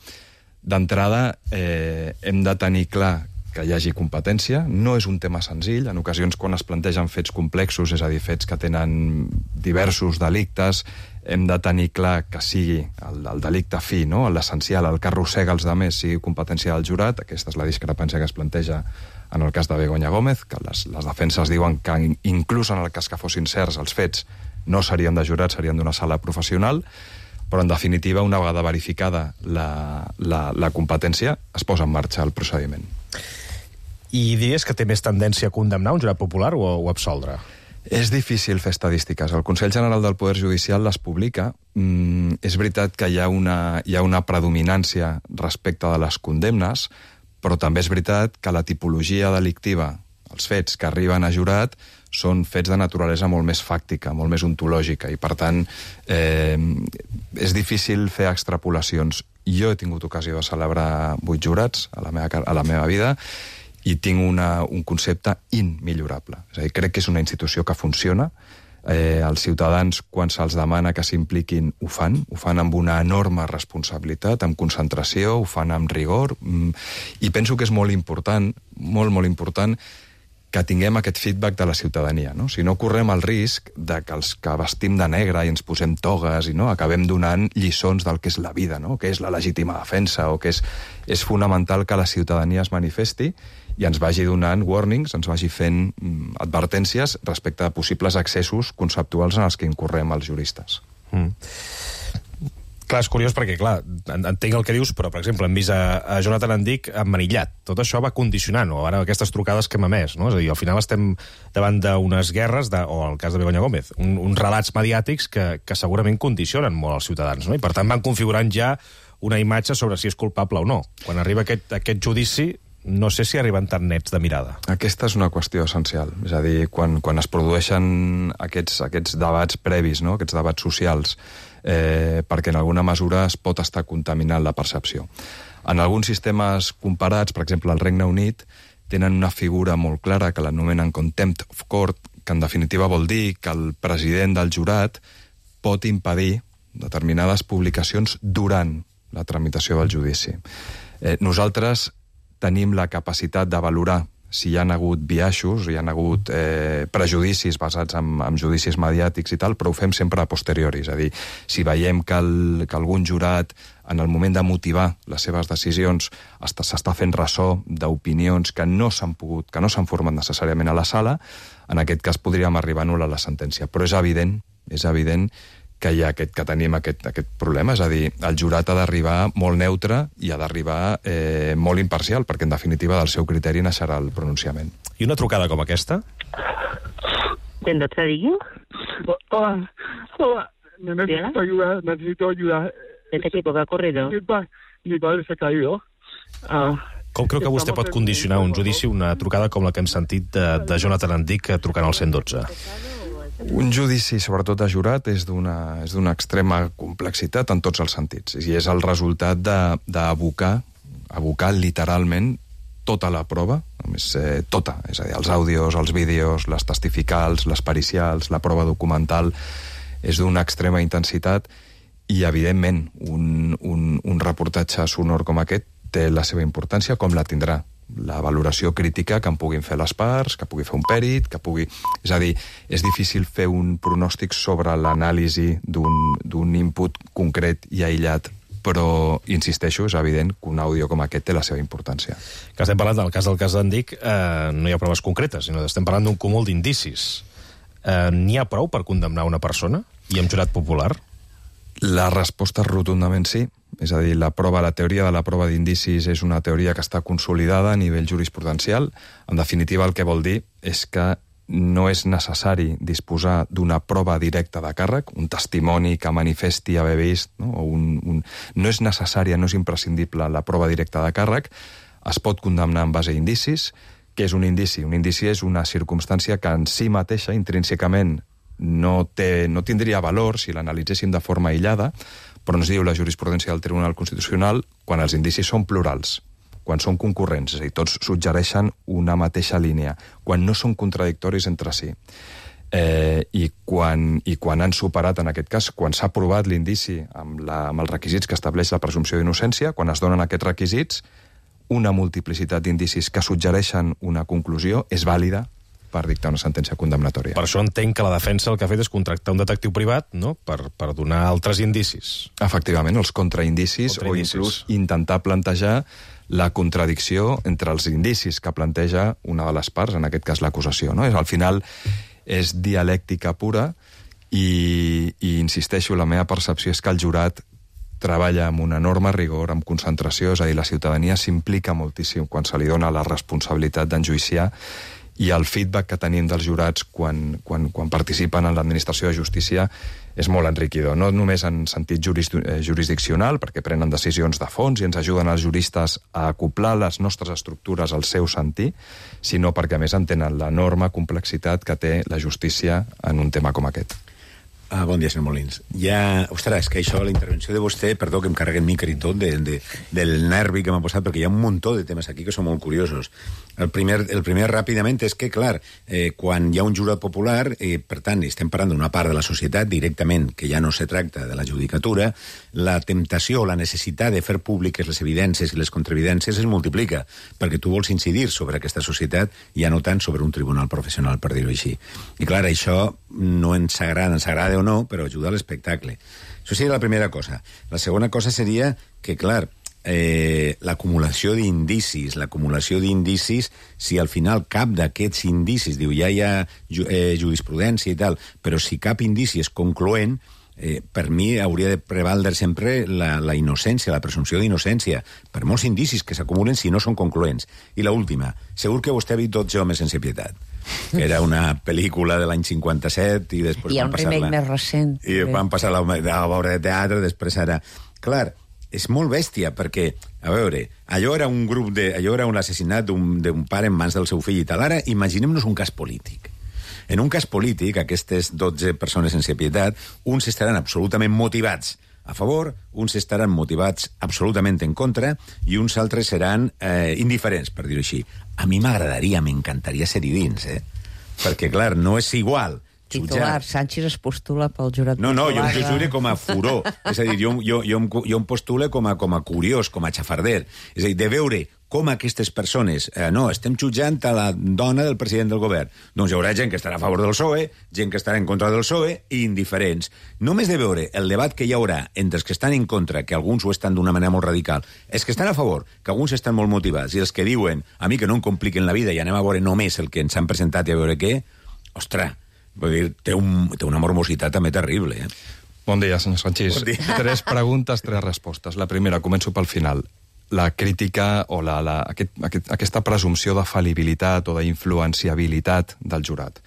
Speaker 18: D'entrada, eh, hem de tenir clar que hi hagi competència. No és un tema senzill. En ocasions, quan es plantegen fets complexos, és a dir, fets que tenen diversos delictes, hem de tenir clar que sigui el, el delicte fi, no? L'essencial, el que arrossega els altres, sigui competència del jurat. Aquesta és la discrepància que es planteja en el cas de Begoña Gómez, que les, les defenses diuen que inclús en el cas que fossin certs els fets no serien de jurat, serien d'una sala professional, però en definitiva, una vegada verificada la, la, la competència, es posa en marxa el procediment.
Speaker 2: I diries que té més tendència a condemnar un jurat popular o, o absoldre?
Speaker 18: És difícil fer estadístiques. El Consell General del Poder Judicial les publica. Mm, és veritat que hi ha, una, hi ha una predominància respecte de les condemnes, però també és veritat que la tipologia delictiva, els fets que arriben a jurat, són fets de naturalesa molt més fàctica, molt més ontològica, i per tant eh, és difícil fer extrapolacions. Jo he tingut ocasió de celebrar vuit jurats a la meva, a la meva vida i tinc una, un concepte immillorable. És a dir, crec que és una institució que funciona. Eh, els ciutadans, quan se'ls demana que s'impliquin, ho fan. Ho fan amb una enorme responsabilitat, amb concentració, ho fan amb rigor. Mm, I penso que és molt important, molt, molt important, que tinguem aquest feedback de la ciutadania, no? Si no correm el risc de que els que vestim de negre i ens posem togues i no acabem donant lliçons del que és la vida, no? Que és la legítima defensa, o que és, és fonamental que la ciutadania es manifesti i ens vagi donant warnings, ens vagi fent mm, advertències respecte a possibles excessos conceptuals en els que incorrem els juristes.
Speaker 2: Mm. Clar, és curiós perquè, clar, entenc el que dius, però, per exemple, hem vist a, a Jonathan Andic emmanillat. Tot això va condicionant, o ara aquestes trucades que hem emès, no? És a dir, al final estem davant d'unes guerres, de, o el cas de Begoña Gómez, un, uns relats mediàtics que, que segurament condicionen molt els ciutadans, no? I per tant van configurant ja una imatge sobre si és culpable o no. Quan arriba aquest, aquest judici, no sé si arriben tan nets de mirada.
Speaker 18: Aquesta és una qüestió essencial. És a dir, quan, quan es produeixen aquests, aquests debats previs, no? Aquests debats socials, eh, perquè en alguna mesura es pot estar contaminant la percepció. En alguns sistemes comparats, per exemple, al Regne Unit, tenen una figura molt clara que l'anomenen contempt of court, que en definitiva vol dir que el president del jurat pot impedir determinades publicacions durant la tramitació del judici. Eh, nosaltres tenim la capacitat de valorar si hi ha hagut biaixos, hi ha hagut eh, prejudicis basats en, en judicis mediàtics i tal, però ho fem sempre a posteriori. És a dir, si veiem que, el, que algun jurat, en el moment de motivar les seves decisions, s'està fent ressò d'opinions que no s'han pogut, que no s'han format necessàriament a la sala, en aquest cas podríem arribar a anul·lar la sentència. Però és evident, és evident que hi ha aquest, que tenim aquest, aquest problema, és a dir, el jurat ha d'arribar molt neutre i ha d'arribar eh, molt imparcial, perquè en definitiva del seu criteri naixerà el pronunciament.
Speaker 2: I una trucada com aquesta?
Speaker 19: ¿En dónde digo?
Speaker 20: Hola, hola, necesito ayuda, necesito ayuda.
Speaker 19: ¿De qué tipo? ¿Qué ha ocurrido?
Speaker 20: Mi, pa mi padre se ha caído. Uh,
Speaker 2: Com creu que vostè pot condicionar un judici una trucada com la que hem sentit de, de Jonathan Andic trucant al cent dotze?
Speaker 18: Un judici, sobretot de jurat, és d'una és d'una extrema complexitat en tots els sentits. I és el resultat d'abocar, abocar literalment tota la prova, només eh, tota, és a dir, els àudios, els vídeos, les testificals, les pericials, la prova documental, és d'una extrema intensitat i, evidentment, un, un, un reportatge sonor com aquest té la seva importància, com la tindrà la valoració crítica que en puguin fer les parts, que pugui fer un pèrit, que pugui... És a dir, és difícil fer un pronòstic sobre l'anàlisi d'un input concret i aïllat, però, insisteixo, és evident que un àudio com aquest té la seva importància.
Speaker 2: Que estem parlant del cas del cas d'Andic, eh, no hi ha proves concretes, sinó que estem parlant d'un cúmul d'indicis. Eh, N'hi ha prou per condemnar una persona i amb jurat popular?
Speaker 18: La resposta és rotundament sí. És a dir, la prova, la teoria de la prova d'indicis és una teoria que està consolidada a nivell jurisprudencial. En definitiva, el que vol dir és que no és necessari disposar d'una prova directa de càrrec, un testimoni que manifesti haver vist, no? O un, un... no és necessària, no és imprescindible la prova directa de càrrec, es pot condemnar en base a indicis. Què és un indici? Un indici és una circumstància que en si mateixa, intrínsecament, no, té, no tindria valor si l'analitzéssim de forma aïllada, però ens diu la jurisprudència del Tribunal Constitucional quan els indicis són plurals, quan són concurrents, és a dir, tots suggereixen una mateixa línia, quan no són contradictoris entre si. Eh, i, quan, I quan han superat, en aquest cas, quan s'ha aprovat l'indici amb, la, amb els requisits que estableix la presumpció d'innocència, quan es donen aquests requisits, una multiplicitat d'indicis que suggereixen una conclusió és vàlida per dictar una sentència condemnatòria.
Speaker 2: Per això entenc que la defensa el que ha fet és contractar un detectiu privat, no?, per, per donar altres indicis.
Speaker 18: Efectivament, els contraindicis,
Speaker 2: contraindicis.
Speaker 18: o inclús intentar plantejar la contradicció entre els indicis que planteja una de les parts, en aquest cas l'acusació. No? Al final és dialèctica pura i, i insisteixo, la meva percepció és que el jurat treballa amb un enorme rigor, amb concentració, és a dir, la ciutadania s'implica moltíssim quan se li dona la responsabilitat d'enjuiciar, i el feedback que tenim dels jurats quan, quan, quan participen en l'administració de justícia és molt enriquidor. No només en sentit juris, eh, jurisdiccional, perquè prenen decisions de fons i ens ajuden els juristes a acoplar les nostres estructures al seu sentir, sinó perquè a més entenen l'enorme complexitat que té la justícia en un tema com aquest.
Speaker 16: Ah, bon dia, senyor Molins. Ja, ostres, que això, la intervenció de vostè, perdó que em carregui el micro i tot, de, de, del nervi que m'ha posat, perquè hi ha un muntó de temes aquí que són molt curiosos. El primer, el primer ràpidament, és que, clar, eh, quan hi ha un jurat popular, eh, per tant, estem parlant d'una part de la societat directament, que ja no se tracta de la judicatura, la temptació, la necessitat de fer públiques les evidències i les contraevidències es multiplica, perquè tu vols incidir sobre aquesta societat, ja no tant sobre un tribunal professional, per dir-ho així. I, clar, això no ens agrada, ens agrada o no, però ajuda a l'espectacle. Això seria la primera cosa. La segona cosa seria que, clar, eh, l'acumulació d'indicis, l'acumulació d'indicis, si al final cap d'aquests indicis, diu, ja hi ha ju eh, jurisprudència i tal, però si cap indici és concloent, eh, per mi hauria de prevaldre sempre la, la innocència, la presumpció d'innocència, per molts indicis que s'acumulen si no són concloents. I l'última, segur que vostè ha vist Dotze homes sense pietat, que era una pel·lícula de l'any cinquanta-set i després
Speaker 15: hi ha
Speaker 16: van
Speaker 15: un
Speaker 16: passar-la...
Speaker 15: remake més recent.
Speaker 16: I van passar la, la obra de teatre, després ara... Clar, és molt bèstia, perquè, a veure, allò era un grup de... allò era un assassinat d'un pare en mans del seu fill i tal. Ara imaginem-nos un cas polític. En un cas polític, aquestes dotze persones sense pietat, uns estaran absolutament motivats a favor, uns estaran motivats absolutament en contra i uns altres seran eh, indiferents, per dir-ho així. A mi m'agradaria, m'encantaria ser-hi dins, eh? Perquè, clar, no és igual
Speaker 15: titular, Sánchez es postula pel jurat
Speaker 16: no, no,
Speaker 15: popular.
Speaker 16: jo, jo jure com a furor. És a dir, jo, jo, jo, em, jo em postule com a, com a curiós, com a xafarder. És a dir, de veure com aquestes persones... Eh, no, estem jutjant a la dona del president del govern. Doncs hi haurà gent que estarà a favor del P S O E, gent que estarà en contra del P S O E i indiferents. Només de veure el debat que hi haurà entre els que estan en contra, que alguns ho estan d'una manera molt radical, els que estan a favor, que alguns estan molt motivats, i els que diuen a mi que no em compliquen la vida i anem a veure només el que ens han presentat i a veure què, ostres, vull dir, té, un, té una mormositat també terrible, eh?
Speaker 18: Bon dia, senyor Sanchís. Bon dia. Tres preguntes, tres respostes. La primera, començo pel final. La crítica o la, la, aquest, aquest, aquesta presumpció de fal·libilitat o d'influenciabilitat del jurat.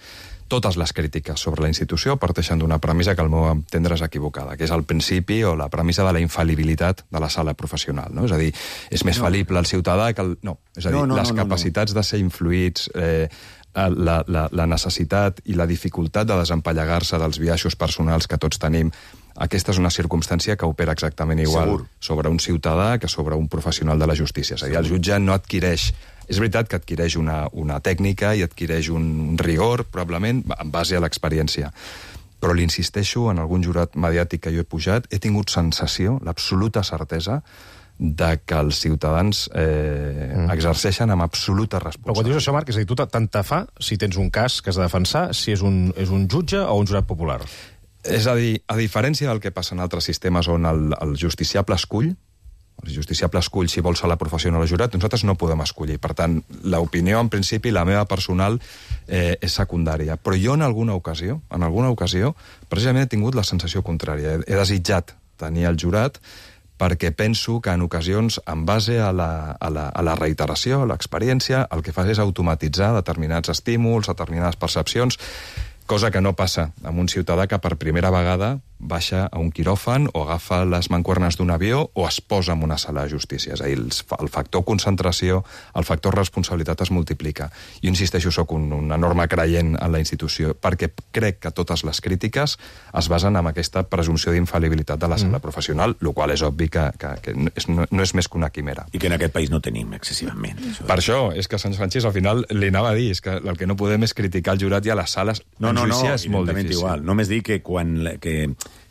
Speaker 18: totes les crítiques sobre la institució parteixen d'una premissa que al meu entendre és equivocada, que és el principi o la premissa de la infal·libilitat de la sala professional. No? És a dir, és més no. fal·lible el ciutadà que el... No, és a dir, no, no, les no, no, capacitats no. de ser influïts, eh, la, la, la necessitat i la dificultat de desempallegar-se dels biaixos personals que tots tenim, aquesta és una circumstància que opera exactament igual Segur. sobre un ciutadà que sobre un professional de la justícia. És a dir, el jutge no adquireix... És veritat que adquireix una, una tècnica i adquireix un rigor, probablement, en base a l'experiència. Però li insisteixo, en algun jurat mediàtic que jo he pujat, he tingut sensació, l'absoluta certesa, de que els ciutadans eh, mm. exerceixen amb absoluta responsabilitat.
Speaker 2: Però quan dius això, Marc, és a dir, tu tant te fa si tens un cas que has de defensar, si és un, és un jutge o un jurat popular?
Speaker 18: És a dir, a diferència del que passa en altres sistemes on el, el justiciable escull, el justiciable escull si vol ser la professional o el jurat, nosaltres no podem escollir. Per tant, l'opinió, en principi, la meva personal, eh, és secundària. Però jo, en alguna ocasió, en alguna ocasió, precisament he tingut la sensació contrària. He, he desitjat tenir el jurat perquè penso que en ocasions, en base a la, a la, a la reiteració, a l'experiència, el que fas és automatitzar determinats estímuls, determinades percepcions, cosa que no passa amb un ciutadà que per primera vegada baixa a un quiròfan o agafa les mancuernes d'un avió o es posa en una sala de justícia. És a dir, el factor concentració, el factor responsabilitat es multiplica. Jo insisteixo, soc un, un enorme creient en la institució, perquè crec que totes les crítiques es basen en aquesta presumpció d'infal·libilitat de la sala mm. professional, el qual és obvi que, que, que és, no, no és més que una quimera.
Speaker 16: I que en aquest país no tenim excessivament.
Speaker 18: Això. Per això, és que Sant Francis al final li anava a dir, és que el que no podem és criticar el jurat i a les sales.
Speaker 16: No, no, no,
Speaker 18: és molt difícil.
Speaker 16: Igual. Només dic que quan... Que...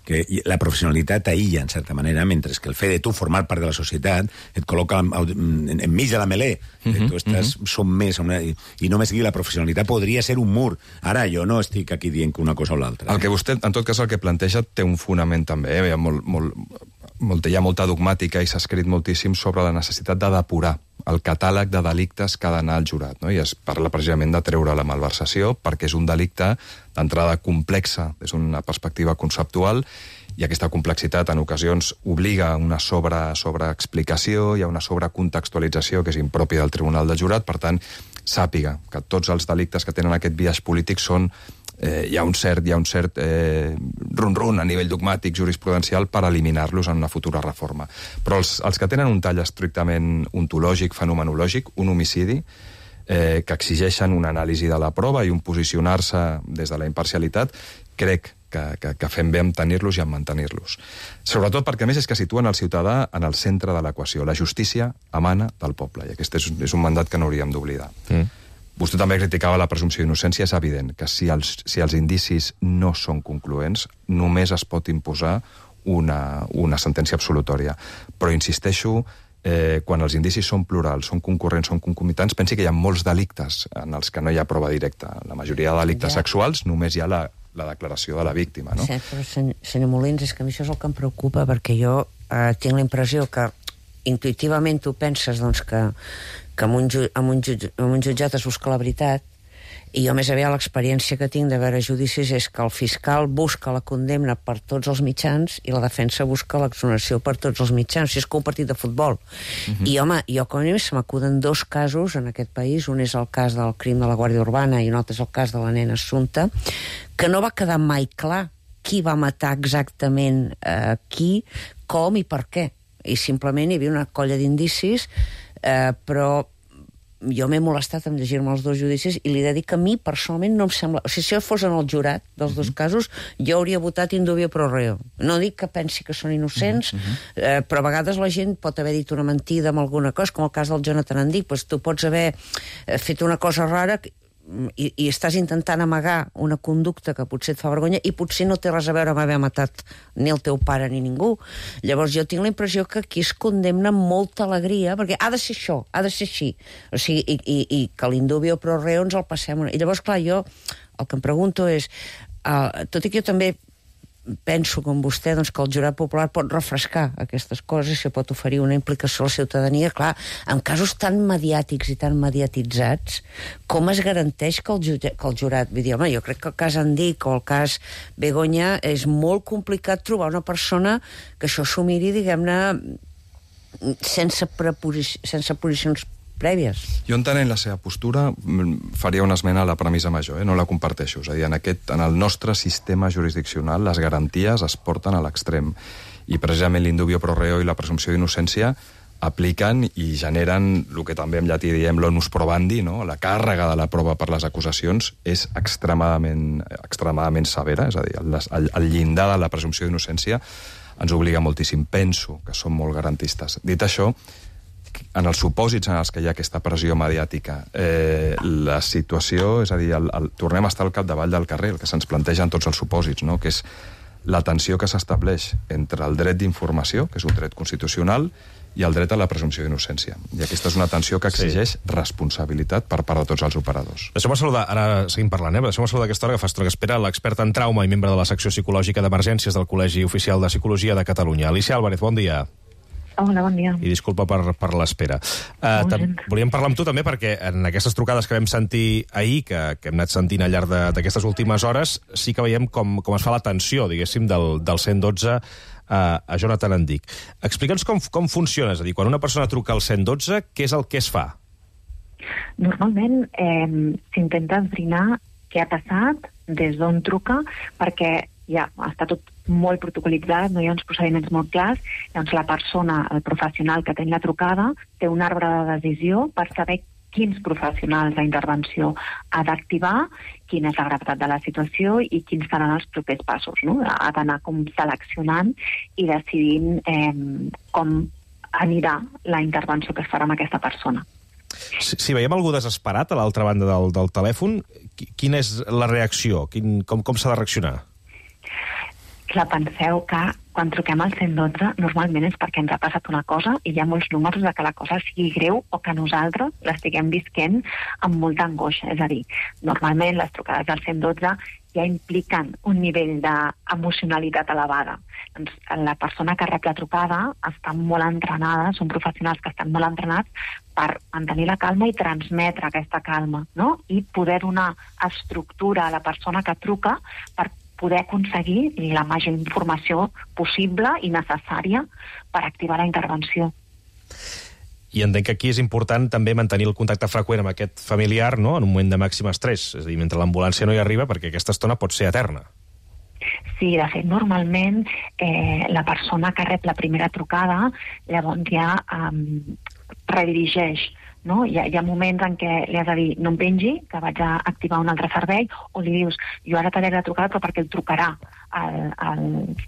Speaker 16: que la professionalitat aïlla, en certa manera, mentre que el fet de tu formar part de la societat et col·loca enmig de la melé. Uh-huh, tu estàs uh-huh. sommès a una... I només dir la professionalitat podria ser un mur. Ara, jo no estic aquí dient que una cosa o l'altra.
Speaker 18: El que vostè, en tot cas, el que planteja té un fonament també. Eh? Hi ha molt, molt, molt, hi ha molta dogmàtica i s'ha escrit moltíssim sobre la necessitat de depurar el catàleg de delictes que ha d'anar al jurat. No? I es parla precisament de treure la malversació perquè és un delicte d'entrada complexa des d'una perspectiva conceptual i aquesta complexitat en ocasions obliga a una sobre, sobreexplicació i a una sobrecontextualització que és impròpia del Tribunal del Jurat. Per tant, sàpiga que tots els delictes que tenen aquest biaix polític són Eh, hi ha un cert, hi ha un cert eh, run-run a nivell dogmàtic, jurisprudencial, per eliminar-los en una futura reforma. Però els, els que tenen un tall estrictament ontològic, fenomenològic, un homicidi, eh, que exigeixen una anàlisi de la prova i un posicionar-se des de la imparcialitat, crec que, que, que fem bé en tenir-los i en mantenir-los. Sobretot perquè, a més, és que situen el ciutadà en el centre de l'equació. La justícia emana del poble, i aquest és, és un mandat que no hauríem d'oblidar. Mm. Vostè també criticava la presumpció d'innocència. És evident que si els, si els indicis no són concloents, només es pot imposar una, una sentència absolutòria. Però insisteixo, eh, quan els indicis són plurals, són concurrents, són concomitants, pensi que hi ha molts delictes en els que no hi ha prova directa. La majoria de delictes ja. sexuals només hi ha la, la declaració de la víctima. No?
Speaker 15: Sí, però senyor, senyor Molins, és que a mi això és el que em preocupa, perquè jo eh, tinc la impressió que intuïtivament tu penses doncs, que que amb un, ju amb, un jutge amb un jutjat es busca la veritat, i jo més aviat l'experiència que tinc de veure judicis és que el fiscal busca la condemna per tots els mitjans i la defensa busca l'exoneració per tots els mitjans. Si és com un partit de futbol. Uh-huh. I, home, jo com a mínim se m'acuden dos casos en aquest país. Un és el cas del crim de la Guàrdia Urbana i un altre és el cas de la nena Assumpta, que no va quedar mai clar qui va matar exactament eh, qui, com i per què. I simplement hi havia una colla d'indicis, eh, però jo m'he molestat en llegir-me els dos judicis i li he de dir que a mi personalment no em sembla... O sigui, si jo fos en el jurat dels dos casos, jo hauria votat in dubio pro reo. No dic que pensi que són innocents, uh-huh. eh, però a vegades la gent pot haver dit una mentida amb alguna cosa, com el cas del Jonathan Andic. Pues tu pots haver fet una cosa rara i, i estàs intentant amagar una conducta que potser et fa vergonya i potser no té res a veure amb haver matat ni el teu pare ni ningú. Llavors jo tinc la impressió que aquí es condemna amb molta alegria, perquè ha de ser això, ha de ser així. O sigui, i, i, i que l'indubio pro reo ens el passem. I llavors, clar, jo el que em pregunto és, uh, tot i que jo també penso, com vostè, doncs, que el jurat popular pot refrescar aquestes coses i pot oferir una implicació a la ciutadania. Clar, en casos tan mediàtics i tan mediatitzats, com es garanteix que el, jutge, que el jurat... Vull dir, home, jo crec que el cas Andic o el cas Begoña és molt complicat trobar una persona que això s'ho miri, diguem-ne, sense, sense posicions prèvies.
Speaker 18: Jo entenent la seva postura faria una esmena a la premissa major, eh? No la comparteixo. És a dir, en, aquest, en el nostre sistema jurisdiccional les garanties es porten a l'extrem i precisament l'indubio pro reo i la presumpció d'innocència apliquen i generen el que també en llatí diem l'onus probandi, no? La càrrega de la prova per les acusacions és extremadament, extremadament severa, és a dir, el, el llindar de la presumpció d'innocència ens obliga moltíssim. Penso que som molt garantistes. Dit això, en els supòsits en els que hi ha aquesta pressió mediàtica, eh, la situació, és a dir, el, el, tornem a estar al capdavall del carrer, el que se'ns planteja en tots els supòsits, no? Que és la tensió que s'estableix entre el dret d'informació, que és un dret constitucional, i el dret a la presumpció d'innocència. I aquesta és una tensió que exigeix sí. responsabilitat per part de tots els operadors.
Speaker 2: Deixeu-me saludar, ara seguim parlant, eh? Deixeu-me saludar aquesta hora que fa estona que espera l'experta en trauma i membre de la secció psicològica d'emergències del Col·legi Oficial de Psicologia de Catalunya. Alicia Álvarez, bon dia.
Speaker 19: Hola, bon dia.
Speaker 2: I disculpa per, per l'espera. Uh, volíem parlar amb tu també perquè en aquestes trucades que vam sentir ahir, que, que hem anat sentint al llarg d'aquestes últimes hores, sí que veiem com, com es fa la tensió, diguéssim, del, del cent dotze uh, a Jonathan Endic. Explica'ns com, com funciona, és a dir, quan una persona truca al cent dotze, què és el que es fa?
Speaker 19: Normalment eh, s'intenta esbrinar què ha passat, des d'on truca, perquè ja està tot molt protocolitzat, no hi ha uns procediments molt clars, llavors la persona, el professional que té la trucada, té un arbre de decisió per saber quins professionals d'intervenció ha d'activar, quina és la gravetat de la situació i quins seran els propers passos. No? Ha d'anar com seleccionant i decidint eh, com anirà la intervenció que es farà amb aquesta persona.
Speaker 2: Si, si veiem algú desesperat a l'altra banda del, del telèfon, quina és la reacció? Quin, com com s'ha de reaccionar?
Speaker 19: Clar, penseu que quan truquem al cent dotze normalment és perquè ens ha passat una cosa i hi ha molts números de que la cosa sigui greu o que nosaltres l'estiguem visquent amb molta angoixa. És a dir, normalment les trucades al cent dotze ja impliquen un nivell d'emocionalitat elevada. Doncs la persona que rep la trucada està molt entrenada, són professionals que estan molt entrenats per mantenir la calma i transmetre aquesta calma, no? I poder donar estructura a la persona que truca per poder aconseguir la major informació possible i necessària per activar la intervenció.
Speaker 2: I entenc que aquí és important també mantenir el contacte freqüent amb aquest familiar, no?, en un moment de màxim estrès, és a dir, mentre l'ambulància no hi arriba, perquè aquesta estona pot ser eterna.
Speaker 19: Sí, de fet, normalment eh, la persona que rep la primera trucada llavors ja eh, redirigeix. No? Hi, ha, hi ha moments en què li has de dir no em pengi, que vaig a activar un altre servei, o li dius, jo ara t'he la trucada però perquè el trucarà el, el,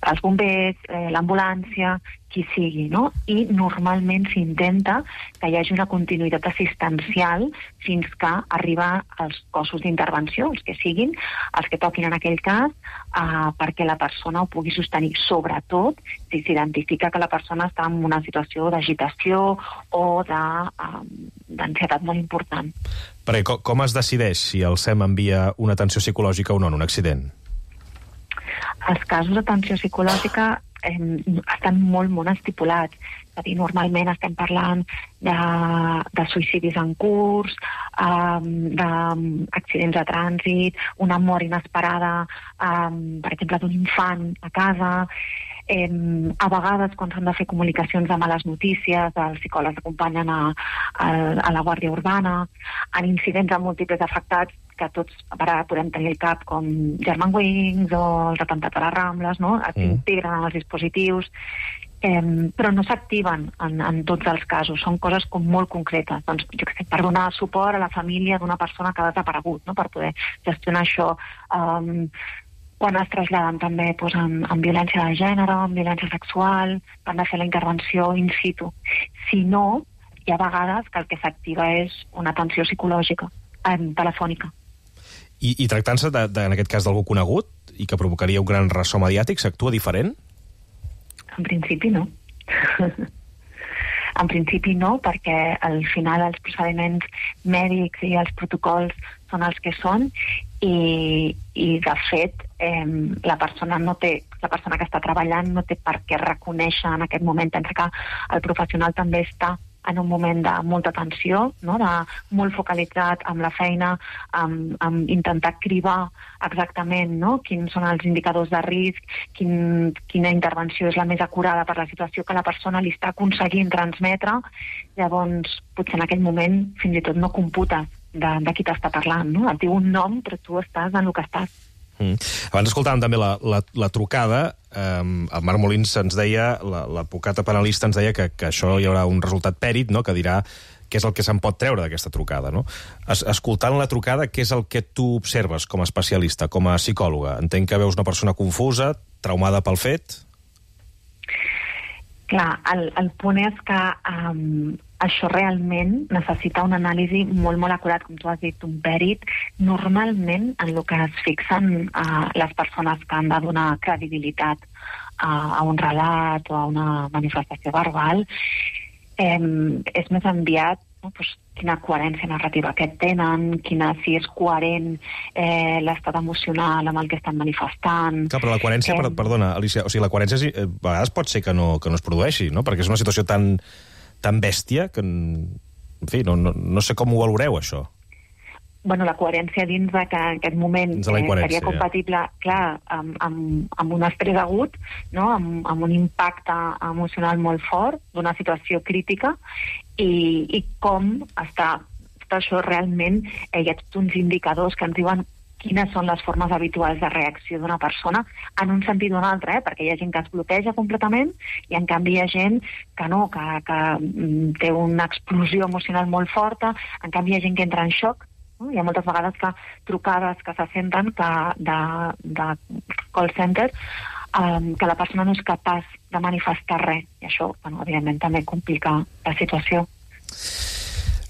Speaker 19: els bombers, eh, l'ambulància, qui sigui, no? I normalment s'intenta que hi hagi una continuïtat assistencial fins que arriba als cossos d'intervenció, els que siguin, els que toquin en aquell cas, eh, perquè la persona ho pugui sostenir, sobretot si s'identifica que la persona està en una situació d'agitació o de, eh, d'ansietat molt important.
Speaker 2: Perquè com, com es decideix si el S E M envia una atenció psicològica o no en un accident?
Speaker 19: Els casos d'atenció psicològica eh, estan molt, molt estipulats. És a dir, normalment estem parlant de, de suïcidis en curs, eh, d'accidents de trànsit, una mort inesperada, eh, per exemple, d'un infant a casa. Eh, a vegades, quan s'han de fer comunicacions de males notícies, els psicòlegs acompanyen a, a, a la Guàrdia Urbana, en incidents amb múltiples afectats, que tots ara podem tenir el cap, com Germanwings o els atemptats a les Rambles, no? S'integren en els dispositius, eh, però no s'activen en, en tots els casos, són coses com molt concretes. Doncs, jo què sé, per donar suport a la família d'una persona que ha desaparegut, no? Per poder gestionar això. Um, quan es traslladen també doncs, en, en violència de gènere, en violència sexual, han de fer la intervenció in situ. Si no, hi ha vegades que el que s'activa és una atenció psicològica, eh, telefònica.
Speaker 2: I, i tractant-se, de, de, en aquest cas, d'algú conegut i que provocaria un gran ressò mediàtic, s'actua diferent?
Speaker 19: En principi no. En principi no, perquè al final els procediments mèdics i els protocols són els que són i, i de fet, eh, la persona no té, la persona que està treballant no té per què reconèixer en aquest moment. Pensa que el professional també està en un moment de molta tensió, no? De molt focalitzat amb la feina, amb, amb intentar cribar exactament, no? Quins són els indicadors de risc, quin, quina intervenció és la més acurada per la situació que la persona li està aconseguint transmetre. Llavors, potser en aquell moment fins i tot no computes de, de qui t'està parlant, no? Et diu un nom, però tu estàs en el que estàs.
Speaker 2: Mm. Abans escoltàvem també la, la, la trucada. Eh, el Marc Molins ens deia, l'advocat penalista ens deia que, que això hi haurà un resultat pèrit, no?, que dirà què és el que se'n pot treure d'aquesta trucada, no? Es, escoltant la trucada, què és el que tu observes com a especialista, com a psicòloga? Entenc que veus una persona confusa, traumada pel fet?
Speaker 19: Clar, el, el punt és que um, això realment necessita una anàlisi molt, molt acurat, com tu has dit, un pèrit. Normalment, en el que es fixen uh, les persones que han de donar credibilitat uh, a un relat o a una manifestació verbal, eh, és més enviat, no? Pues, quina coherència narrativa que tenen, quina, si és coherent eh, l'estat emocional amb el que estan manifestant.
Speaker 2: Clar, però la coherència, eh... per, perdona, Alicia, o sigui, la coherència eh, a vegades pot ser que no, que no es produeixi, no? Perquè és una situació tan, tan bèstia que, en fi, no, no, no sé com ho valoreu, això.
Speaker 19: Bueno, la coherència dins de que en aquest moment eh, seria compatible, ja. clar, amb, amb, amb un estrès agut, no? amb, amb un impacte emocional molt fort d'una situació crítica, i, i com està tot això realment, eh, hi ha tots uns indicadors que ens diuen quines són les formes habituals de reacció d'una persona en un sentit o un altre, eh? Perquè hi ha gent que es bloqueja completament i en canvi hi ha gent que no, que, que mm, té una explosió emocional molt forta, en canvi hi ha gent que entra en xoc. Hi ha moltes vegades que trucades que se senten que de, de call center um, que la persona no és capaç de manifestar res. I això, bueno, evidentment, també complica la situació.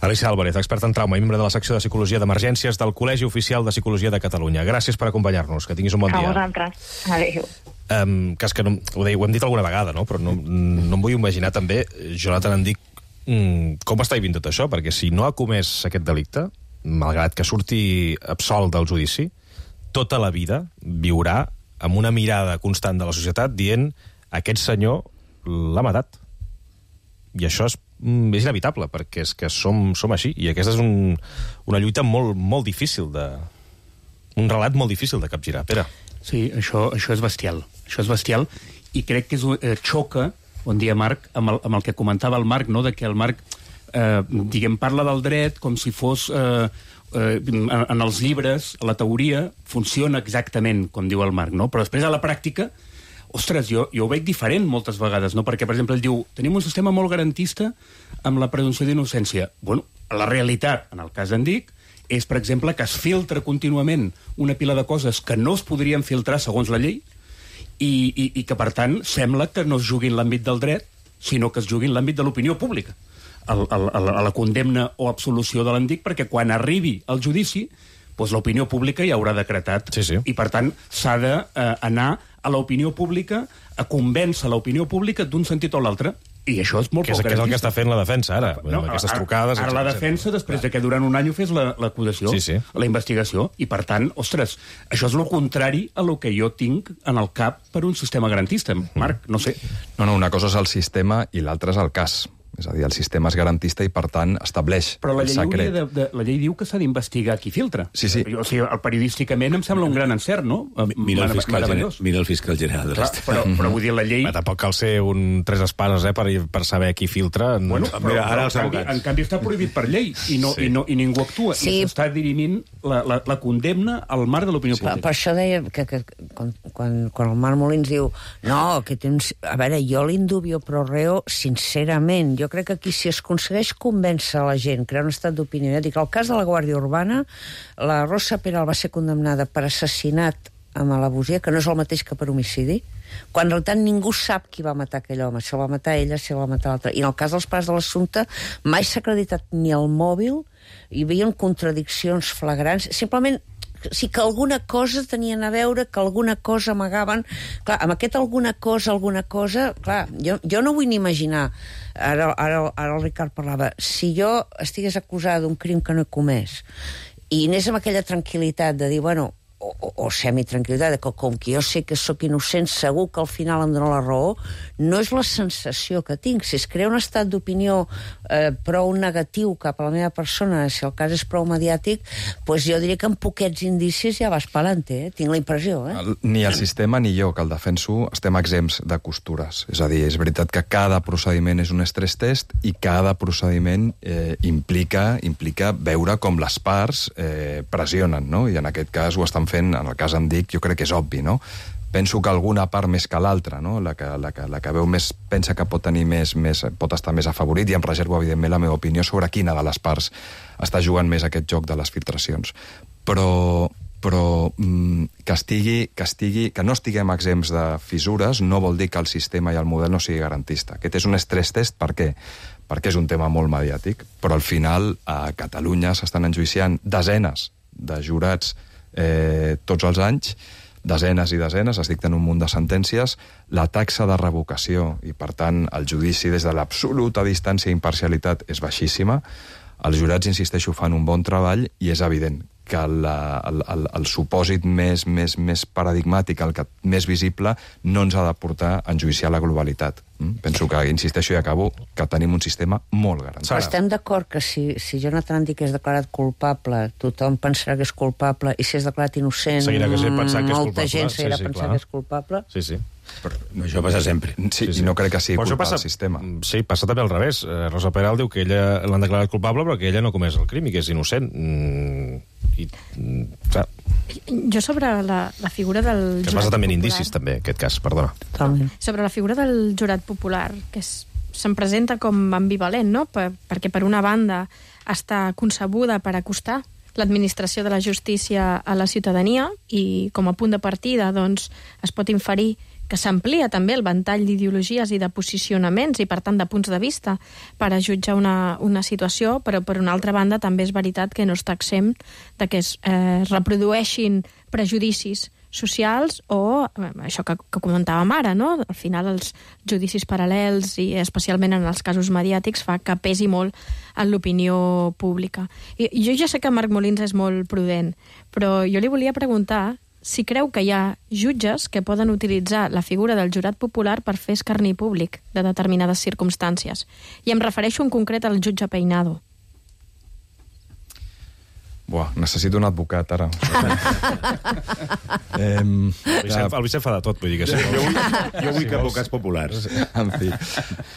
Speaker 2: Alicia Álvarez, experta en trauma i membre de la secció de Psicologia d'Emergències del Col·legi Oficial de Psicologia de Catalunya. Gràcies per acompanyar-nos. Que tinguis un bon dia.
Speaker 19: A vosaltres. Adéu.
Speaker 2: Um, que és que no, ho, deia, ho hem dit alguna vegada, no? Però no, no em vull imaginar també, Jonathan, em dic, mm, com està vivint tot això? Perquè si no ha comès aquest delicte, malgrat que surti absolt del judici, tota la vida viurà amb una mirada constant de la societat dient aquest senyor l'ha matat. I això és, és inevitable, perquè és que som, som així. I aquesta és un, una lluita molt, molt difícil de... un relat molt difícil de capgirar. Pere.
Speaker 14: Sí, això, això és bestial. Això és bestial i crec que és, eh, xoca, bon dia, Marc, amb el, amb el que comentava el Marc, no?, de que el Marc Eh, diguem, parla del dret com si fos eh, eh, en, en els llibres, a la teoria funciona exactament com diu el Marc, no? Però després a la pràctica, ostres, jo, jo ho veig diferent moltes vegades, no? Perquè, per exemple, ell diu, tenim un sistema molt garantista amb la presumpció d'innocència. Bueno, la realitat, en el cas d'en Dic, és, per exemple, que es filtra contínuament una pila de coses que no es podrien filtrar segons la llei i, i, i que, per tant, sembla que no es jugui en l'àmbit del dret, sinó que es jugui en l'àmbit de l'opinió pública. A, a, a la condemna o absolució de l'Endic, perquè quan arribi al judici, doncs l'opinió pública ja haurà decretat.
Speaker 2: Sí, sí.
Speaker 14: I, per tant, s'ha d'anar eh, a l'opinió pública, a convèncer l'opinió pública d'un sentit o l'altre. I això és molt
Speaker 2: poc garantista. Que és el que està fent la defensa, ara,
Speaker 14: no,
Speaker 2: amb aquestes trucades...
Speaker 14: Ara, ara la defensa, després de que durant un any ho fes l'acusació,
Speaker 2: sí, sí.
Speaker 14: la investigació, i, per tant, ostres, això és el contrari a lo que jo tinc en el cap per un sistema garantista. Marc, no sé.
Speaker 18: No, no, una cosa és el sistema i l'altra és el cas. És a dir, el sistema és garantista i, per tant, estableix
Speaker 14: Però la
Speaker 18: el
Speaker 14: llei,
Speaker 18: secret.
Speaker 14: de, de, la llei diu que s'ha d'investigar qui filtra.
Speaker 18: Sí, sí.
Speaker 14: O sigui, el periodísticament em sembla un gran encert, no?
Speaker 16: Mira el fiscal, gener, mira el fiscal general de l'Estat.
Speaker 14: Però, però vull dir, la llei...
Speaker 2: Ma, tampoc cal ser un tres espases, eh, per, per saber qui filtra.
Speaker 14: Bueno, però,
Speaker 16: mira, ara els
Speaker 14: en, canvi, en canvi està prohibit per llei i, no,
Speaker 2: sí.
Speaker 14: i, no, i ningú actua.
Speaker 15: Sí.
Speaker 14: I s'està dirimint la, la, la condemna al marc de l'opinió
Speaker 15: sí.
Speaker 14: pública.
Speaker 15: Per, per això deia que, que quan, quan, quan el Marc Molins diu no, que tens... A veure, jo l'indubio pro reo, sincerament, jo crec que aquí si es aconsegueix convèncer la gent, crear un estat d'opinió. Ja dic, el cas de la Guàrdia Urbana, la Rosa Peral va ser condemnada per assassinat amb alabosia, que no és el mateix que per homicidi, quan en realitat ningú sap qui va matar aquell home, si el va matar ella, si el va matar l'altre. I en el cas dels pares de l'assumpte, mai s'ha acreditat ni el mòbil, hi havia contradiccions flagrants, simplement sí que alguna cosa tenien a veure, que alguna cosa amagaven. Clar, amb aquest alguna cosa, alguna cosa, clar, jo, jo no vull ni imaginar, ara, ara, ara el Ricard parlava, si jo estigués acusada d'un crim que no he comès i anés amb aquella tranquil·litat de dir, bueno, o, o, o semitranquil·litat, que com que jo sé que sóc innocent, segur que al final em dona la raó, no és la sensació que tinc. Si es crea un estat d'opinió eh, prou negatiu cap a la meva persona, si el cas és prou mediàtic, doncs jo diria que amb poquets indicis ja vas pelante, eh? Tinc la impressió. Eh?
Speaker 18: El, ni el sistema ni jo, que el defenso, estem exempts de costures. És a dir, és veritat que cada procediment és un stress test i cada procediment eh, implica, implica veure com les parts eh, pressionen, no? I en aquest cas ho estan fent, en el cas em dic, jo crec que és obvi, no? Penso que alguna part més que l'altra, no? La que, la, que, la que veu més, pensa que pot tenir més, més, pot estar més afavorit, i em reservo, evidentment, la meva opinió sobre quina de les parts està jugant més aquest joc de les filtracions. Però, però mm, que, estigui, que, estigui, que no estiguem exempts de fissures no vol dir que el sistema i el model no sigui garantista. Aquest és un stress test, per què? Perquè és un tema molt mediàtic, però al final a Catalunya s'estan enjuiciant desenes de jurats eh, tots els anys, desenes i desenes, es dicten un munt de sentències, la taxa de revocació i, per tant, el judici des de l'absoluta distància i imparcialitat és baixíssima. Els jurats, insisteixo, fan un bon treball i és evident que la, el, el, el supòsit més, més, més paradigmàtic, el que més visible, no ens ha de portar a enjuiciar la globalitat. Mm? Penso que, insisteixo i acabo, que tenim un sistema molt garantit.
Speaker 15: Però estem d'acord que si, si Jonathan Dick és declarat culpable, tothom pensarà que és culpable, i si és declarat innocent,
Speaker 2: seguirà que sí, pensant que és
Speaker 15: molta
Speaker 2: culpable.
Speaker 15: gent seguirà
Speaker 2: Sí, sí,
Speaker 15: pensant
Speaker 2: clar.
Speaker 15: que és culpable.
Speaker 2: Sí, sí.
Speaker 16: Però això passa sempre.
Speaker 18: Sí, sí, sí. I no crec que sigui
Speaker 2: Però això
Speaker 18: culpa
Speaker 2: passa,
Speaker 18: del sistema.
Speaker 2: Sí, passa també al revés. Eh, Rosa Peral diu que ella l'han declarat culpable però que ella no ha comès el crim i que és innocent. Mm, i, mm, clar.
Speaker 13: Jo sobre la, la figura del
Speaker 2: Que es
Speaker 13: jurat
Speaker 2: basa també en
Speaker 13: popular-
Speaker 2: indicis, també, aquest cas, perdona.
Speaker 15: Totalment.
Speaker 13: Sobre la figura del jurat popular, que és, se'n presenta com ambivalent, no? Per, perquè per una banda està concebuda per acostar l'administració de la justícia a la ciutadania i com a punt de partida doncs, es pot inferir que s'amplia també el ventall d'ideologies i de posicionaments i, per tant, de punts de vista per a jutjar una, una situació, però, per una altra banda, també és veritat que no està exempt de que es eh, reprodueixin prejudicis socials o eh, això que, que comentàvem ara, no? Al final els judicis paral·lels i especialment en els casos mediàtics fa que pesi molt en l'opinió pública. I, i jo ja sé que Marc Molins és molt prudent, però jo li volia preguntar si creu que hi ha jutges que poden utilitzar la figura del jurat popular per fer escarni públic de determinades circumstàncies. I em refereixo en concret al jutge Peinado.
Speaker 18: Buah, necessito un advocat, ara. eh,
Speaker 2: El Vicent, el Vicent fa de tot, vull dir que sí.
Speaker 16: Jo vull, jo vull que advocats populars.
Speaker 18: En fi,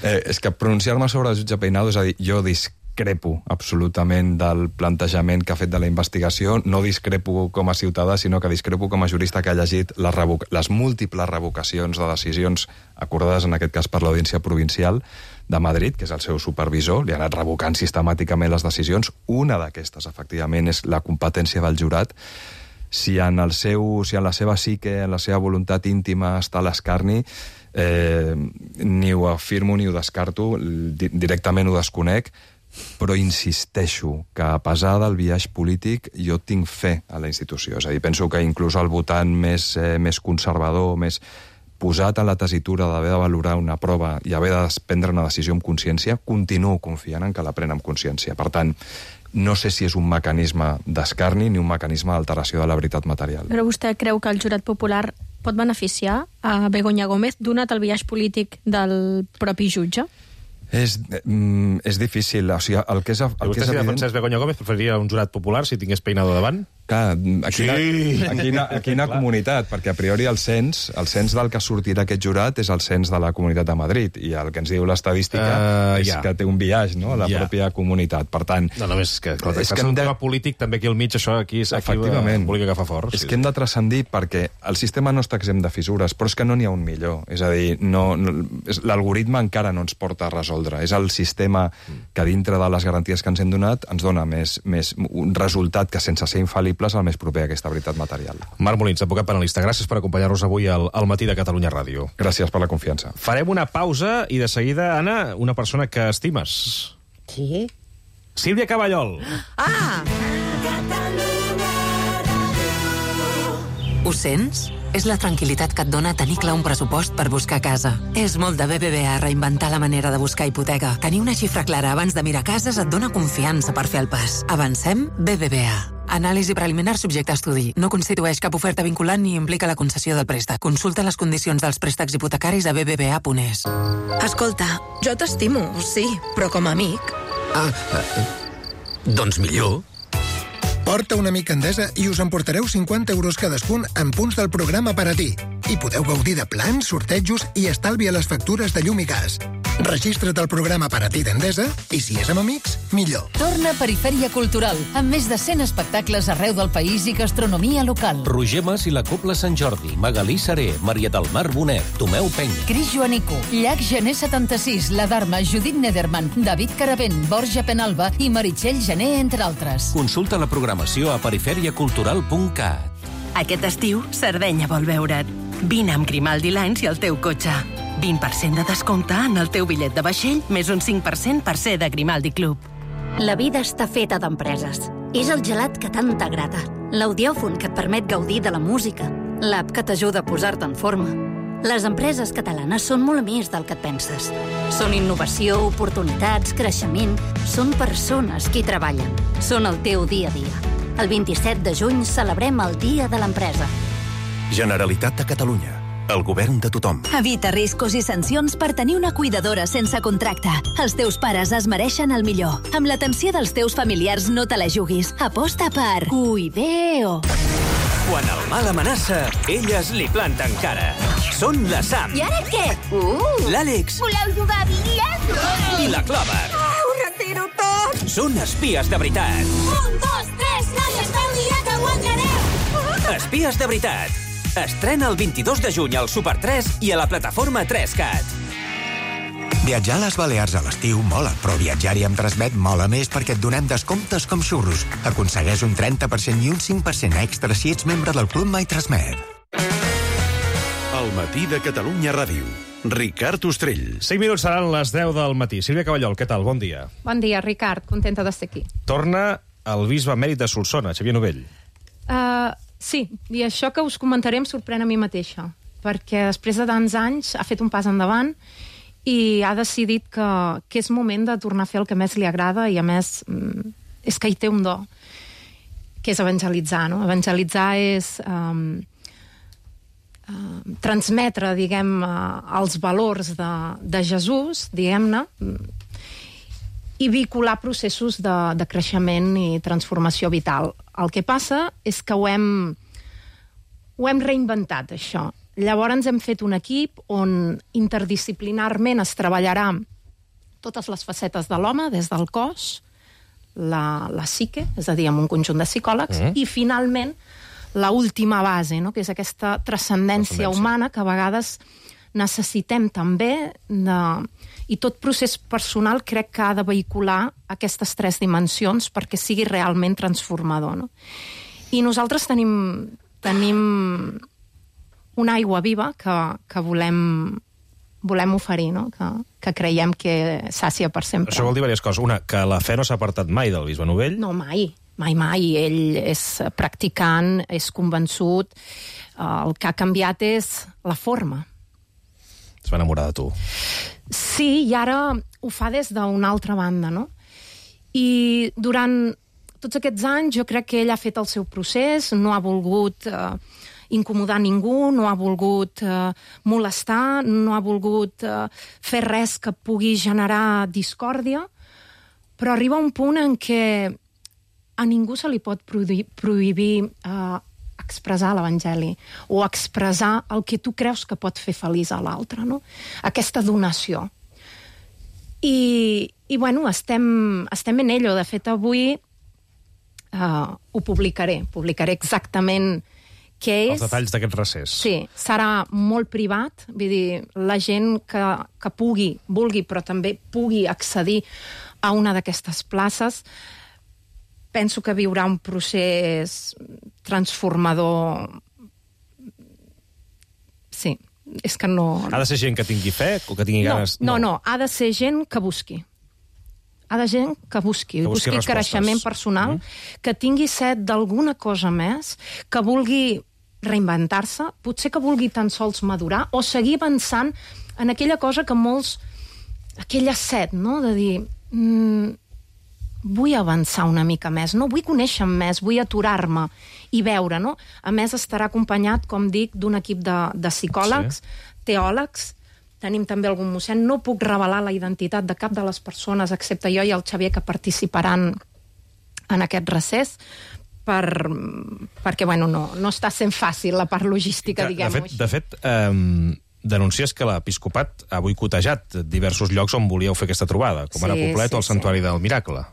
Speaker 18: eh, és que pronunciar-me sobre el jutge Peinado, és a dir, jo discrepo absolutament del plantejament que ha fet de la investigació, no discrepo com a ciutadà, sinó que discrepo com a jurista que ha llegit les, revoc les múltiples revocacions de decisions acordades, en aquest cas per l'Audiència Provincial de Madrid, que és el seu supervisor, li ha anat revocant sistemàticament les decisions. Una d'aquestes, efectivament, és la competència del jurat. Si en, el seu, si en la seva psique, en la seva voluntat íntima està l'escarni, eh, ni ho afirmo ni ho descarto, di directament ho desconec, però insisteixo que a pesar del biaix polític jo tinc fe a la institució. És a dir, penso que inclús el votant més, eh, més conservador, més posat en la tessitura d'haver de valorar una prova i haver de prendre una decisió amb consciència, continuo confiant en que la pren amb consciència. Per tant, no sé si és un mecanisme d'escarni ni un mecanisme d'alteració de la veritat material.
Speaker 13: Però vostè creu que el jurat popular pot beneficiar a Begoña Gómez donat el biaix polític del propi jutge?
Speaker 18: És, mm, és difícil. O sigui, el que és, el
Speaker 2: I vostè,
Speaker 18: que és
Speaker 2: si
Speaker 18: evident...
Speaker 2: defensés Begoña Gómez, preferiria un jurat popular si tingués Peinado davant?
Speaker 18: Clar, a quina,
Speaker 2: Sí.
Speaker 18: a quina, a quina comunitat? Perquè a priori el cens, el cens del que sortirà aquest jurat és el cens de la Comunitat de Madrid, i el que ens diu l'estadística
Speaker 2: Uh,
Speaker 18: és
Speaker 2: ja.
Speaker 18: que té un biaix, no?, a la
Speaker 2: Ja.
Speaker 18: pròpia comunitat. Per tant...
Speaker 2: No, només és que, clar,
Speaker 18: és
Speaker 2: és que un tema polític també aquí al mig, això aquí, aquí
Speaker 18: Efectivament.
Speaker 2: Volia agafar fort.
Speaker 18: És
Speaker 2: sí,
Speaker 18: que hem de transcendir perquè el sistema no està exempt de fissures, però és que no n'hi ha un millor. És a dir, no, no, l'algoritme encara no ens porta a resoldre. És el sistema que dintre de les garanties que ens hem donat ens dona més, més un resultat que, sense ser infal·libles, el més proper a aquesta veritat material.
Speaker 2: Marc Molins, advocat penalista, gràcies per acompanyar-nos avui al, al matí de Catalunya Ràdio.
Speaker 18: Gràcies per la confiança.
Speaker 2: Farem una pausa i de seguida, Anna, una persona que estimes.
Speaker 15: Sí?
Speaker 2: Sílvia Caballol.
Speaker 15: Ah!
Speaker 21: Ho sents? És la tranquil·litat que et dona tenir clar un pressupost per buscar casa. És molt de B B V A reinventar la manera de buscar hipoteca. Tenir una xifra clara abans de mirar cases et dona confiança per fer el pas. Avancem? B B V A. Anàlisi preliminar subjecte a estudi. No constitueix cap oferta vinculant ni implica la concessió del préstec. Consulta les condicions dels préstecs hipotecaris a b b v a punt es.
Speaker 22: Escolta, jo t'estimo, sí, però com a amic,
Speaker 6: Ah, eh, doncs millor. Porta un amic a Endesa i us emportareu cinquanta euros cadascun en punts del programa per a ti. I podeu gaudir de plans, sortejos i estalvi a les factures de llum i gas. Registra't al programa per a ti d'Endesa i, si és amb amics, millor.
Speaker 1: Torna Perifèria Cultural, amb més de cent espectacles arreu del país i gastronomia local.
Speaker 22: Roger Mas i la Cobla Sant Jordi, Magalí Saré, Maria del Mar Bonet, Tomeu Peny.
Speaker 1: Cris Joanico, Llac Gené setanta-sis, La Dharma, Judit Nederman, David Caravent, Borja Penalba i Meritxell Gené, entre altres.
Speaker 22: Consulta la programació a periferiacultural punt cat.
Speaker 23: Aquest estiu, Sardenya vol veure't. Vine amb Grimaldi Lines i el teu cotxe. vint per cent de descompte en el teu bitllet de vaixell, més un cinc per cent per ser de Grimaldi Club.
Speaker 24: La vida està feta d'empreses. És el gelat que tant t'agrada, l'audiòfon que et permet gaudir de la música, l'app que t'ajuda a posar-te en forma. Les empreses catalanes són molt més del que et penses. Són innovació, oportunitats, creixement. Són persones qui treballen. Són el teu dia a dia. El vint-i-set de juny celebrem el Dia de l'Empresa.
Speaker 25: Generalitat de Catalunya. El govern de tothom.
Speaker 3: Evita riscos i sancions per tenir una cuidadora sense contracte. Els teus pares es mereixen el millor. Amb l'atenció dels teus familiars no te la juguis. Aposta per Cuideo.
Speaker 5: Quan el mal amenaça, elles li planten cara. Són la Sam.
Speaker 9: I ara què? Uh!
Speaker 5: L'Àlex.
Speaker 9: Voleu jugar a bitlles?
Speaker 5: I la Clover.
Speaker 9: Ah, ho retiro tot!
Speaker 5: Són espies de veritat.
Speaker 9: Un, dos, tres, noies, feu mirar que guanyareu!
Speaker 5: Espies de veritat. Estrena el vint-i-dos de juny al Super tres i a la plataforma tres cat.
Speaker 26: Viatjar a les Balears a l'estiu mola, però viatjar-hi amb Transmet mola més perquè et donem descomptes com xurros. Aconsegueix un trenta per cent i un cinc per cent extra si ets membre del Club My Transmet.
Speaker 25: El matí de Catalunya Ràdio. Ricard Ostrell.
Speaker 2: cinc minuts seran les deu del matí. Sílvia Caballol, què tal? Bon dia.
Speaker 27: Bon dia, Ricard. Contenta de ser aquí.
Speaker 2: Torna el bisbe emèrit de Solsona, Xavier Novell.
Speaker 27: Uh, sí, i això que us comentaré em sorprèn a mi mateixa, perquè després de tants anys ha fet un pas endavant i ha decidit que, que és moment de tornar a fer el que més li agrada i, a més, és que hi té un do, que és evangelitzar, no? Evangelitzar és um, uh, transmetre, diguem, uh, els valors de, de Jesús, diguem-ne, i vincular processos de, de creixement i transformació vital. El que passa és que ho hem, ho hem reinventat, això. Llavors hem fet un equip on interdisciplinarment es treballarà totes les facetes de l'home, des del cos, la, la psique, és a dir, amb un conjunt de psicòlegs, mm. i finalment la última base, no? Que és aquesta transcendència humana que a vegades necessitem també de... I tot procés personal crec que ha de vehicular aquestes tres dimensions perquè sigui realment transformador, no? I nosaltres tenim, tenim una aigua viva que, que volem, volem oferir, no? Que, que creiem que sàcia per sempre.
Speaker 2: Això vol dir diverses coses. Una, que la fe no s'ha apartat mai del bisbe Novell.
Speaker 27: No, mai. Mai, mai. Ell és practicant, és convençut. El que ha canviat és la forma.
Speaker 2: Es va enamorar de tu.
Speaker 27: Sí, i ara ho fa des d'una altra banda, no? I durant tots aquests anys jo crec que ell ha fet el seu procés, no ha volgut eh, incomodar ningú, no ha volgut eh, molestar, no ha volgut eh, fer res que pugui generar discòrdia, però arriba un punt en què a ningú se li pot prohibir, prohibir eh, expressar l'Evangeli o expressar el que tu creus que pot fer feliç a l'altre, no? Aquesta donació. I, i bueno, estem, estem en ello. De fet, avui uh, ho publicaré. Publicaré exactament què és.
Speaker 2: Els detalls d'aquest recés.
Speaker 27: Sí, serà molt privat. Vull dir, la gent que, que pugui, vulgui, però també pugui accedir a una d'aquestes places, penso que viurà un procés transformador. Sí, és que no...
Speaker 2: Ha de ser gent que tingui fe o que tingui
Speaker 27: no,
Speaker 2: ganes...
Speaker 27: No, no, no, ha de ser gent que busqui. Ha de gent que busqui,
Speaker 2: que busqui,
Speaker 27: busqui creixement personal, mm. que tingui set d'alguna cosa més, que vulgui reinventar-se, potser que vulgui tan sols madurar o seguir avançant en aquella cosa que molts... aquella set, no?, de dir... Mm, vull avançar una mica més, no? Vull conèixer més, vull aturar-me i veure, no? A més, estarà acompanyat, com dic, d'un equip de, de psicòlegs, sí. teòlegs, tenim també algun mossèn. No puc revelar la identitat de cap de les persones, excepte jo i el Xavier, que participaran en aquest recés, per, perquè bueno, no, no està sent fàcil la part logística, diguem-ho així.
Speaker 2: De fet, eh, denuncies que l'Episcopat ha boicotejat diversos llocs on volíeu fer aquesta trobada, com ara
Speaker 27: Sí,
Speaker 2: Poblet
Speaker 27: sí,
Speaker 2: o el Santuari
Speaker 27: sí.
Speaker 2: del Miracle.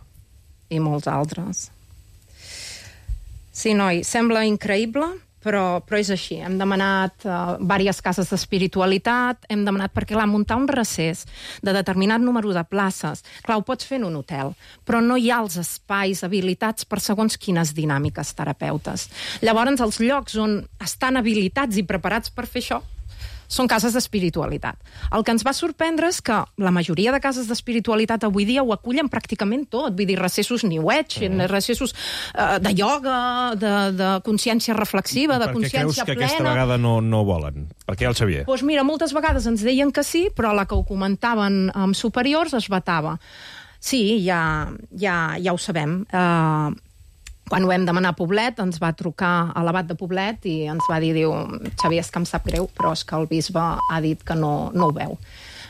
Speaker 27: I molts altres. Sí, noi, sembla increïble, però, però és així. Hem demanat uh, diverses cases d'espiritualitat, hem demanat, perquè clar, muntar un recés de determinat número de places, clar, ho pots fer en un hotel, però no hi ha els espais habilitats per segons quines dinàmiques terapeutes. Llavors, els llocs on estan habilitats i preparats per fer això són cases d'espiritualitat. El que ens va sorprendre és que la majoria de cases d'espiritualitat avui dia ho acullen pràcticament tot, vull dir, recessos New Age, mm. recessos uh, de ioga, de, de consciència reflexiva, de consciència plena...
Speaker 2: Per què creus que aquesta vegada no, no volen? Per què el Xavier?
Speaker 27: Doncs mira, moltes vegades ens deien que sí, però la que ho comentaven amb superiors es vetava. Sí, ja, ja, ja ho sabem. Uh, Quan ho vam demanar a Poblet, ens va trucar a l'abat de Poblet i ens va dir, diu, Xavier, és que em sap greu, però és que el bisbe ha dit que no, no ho veu.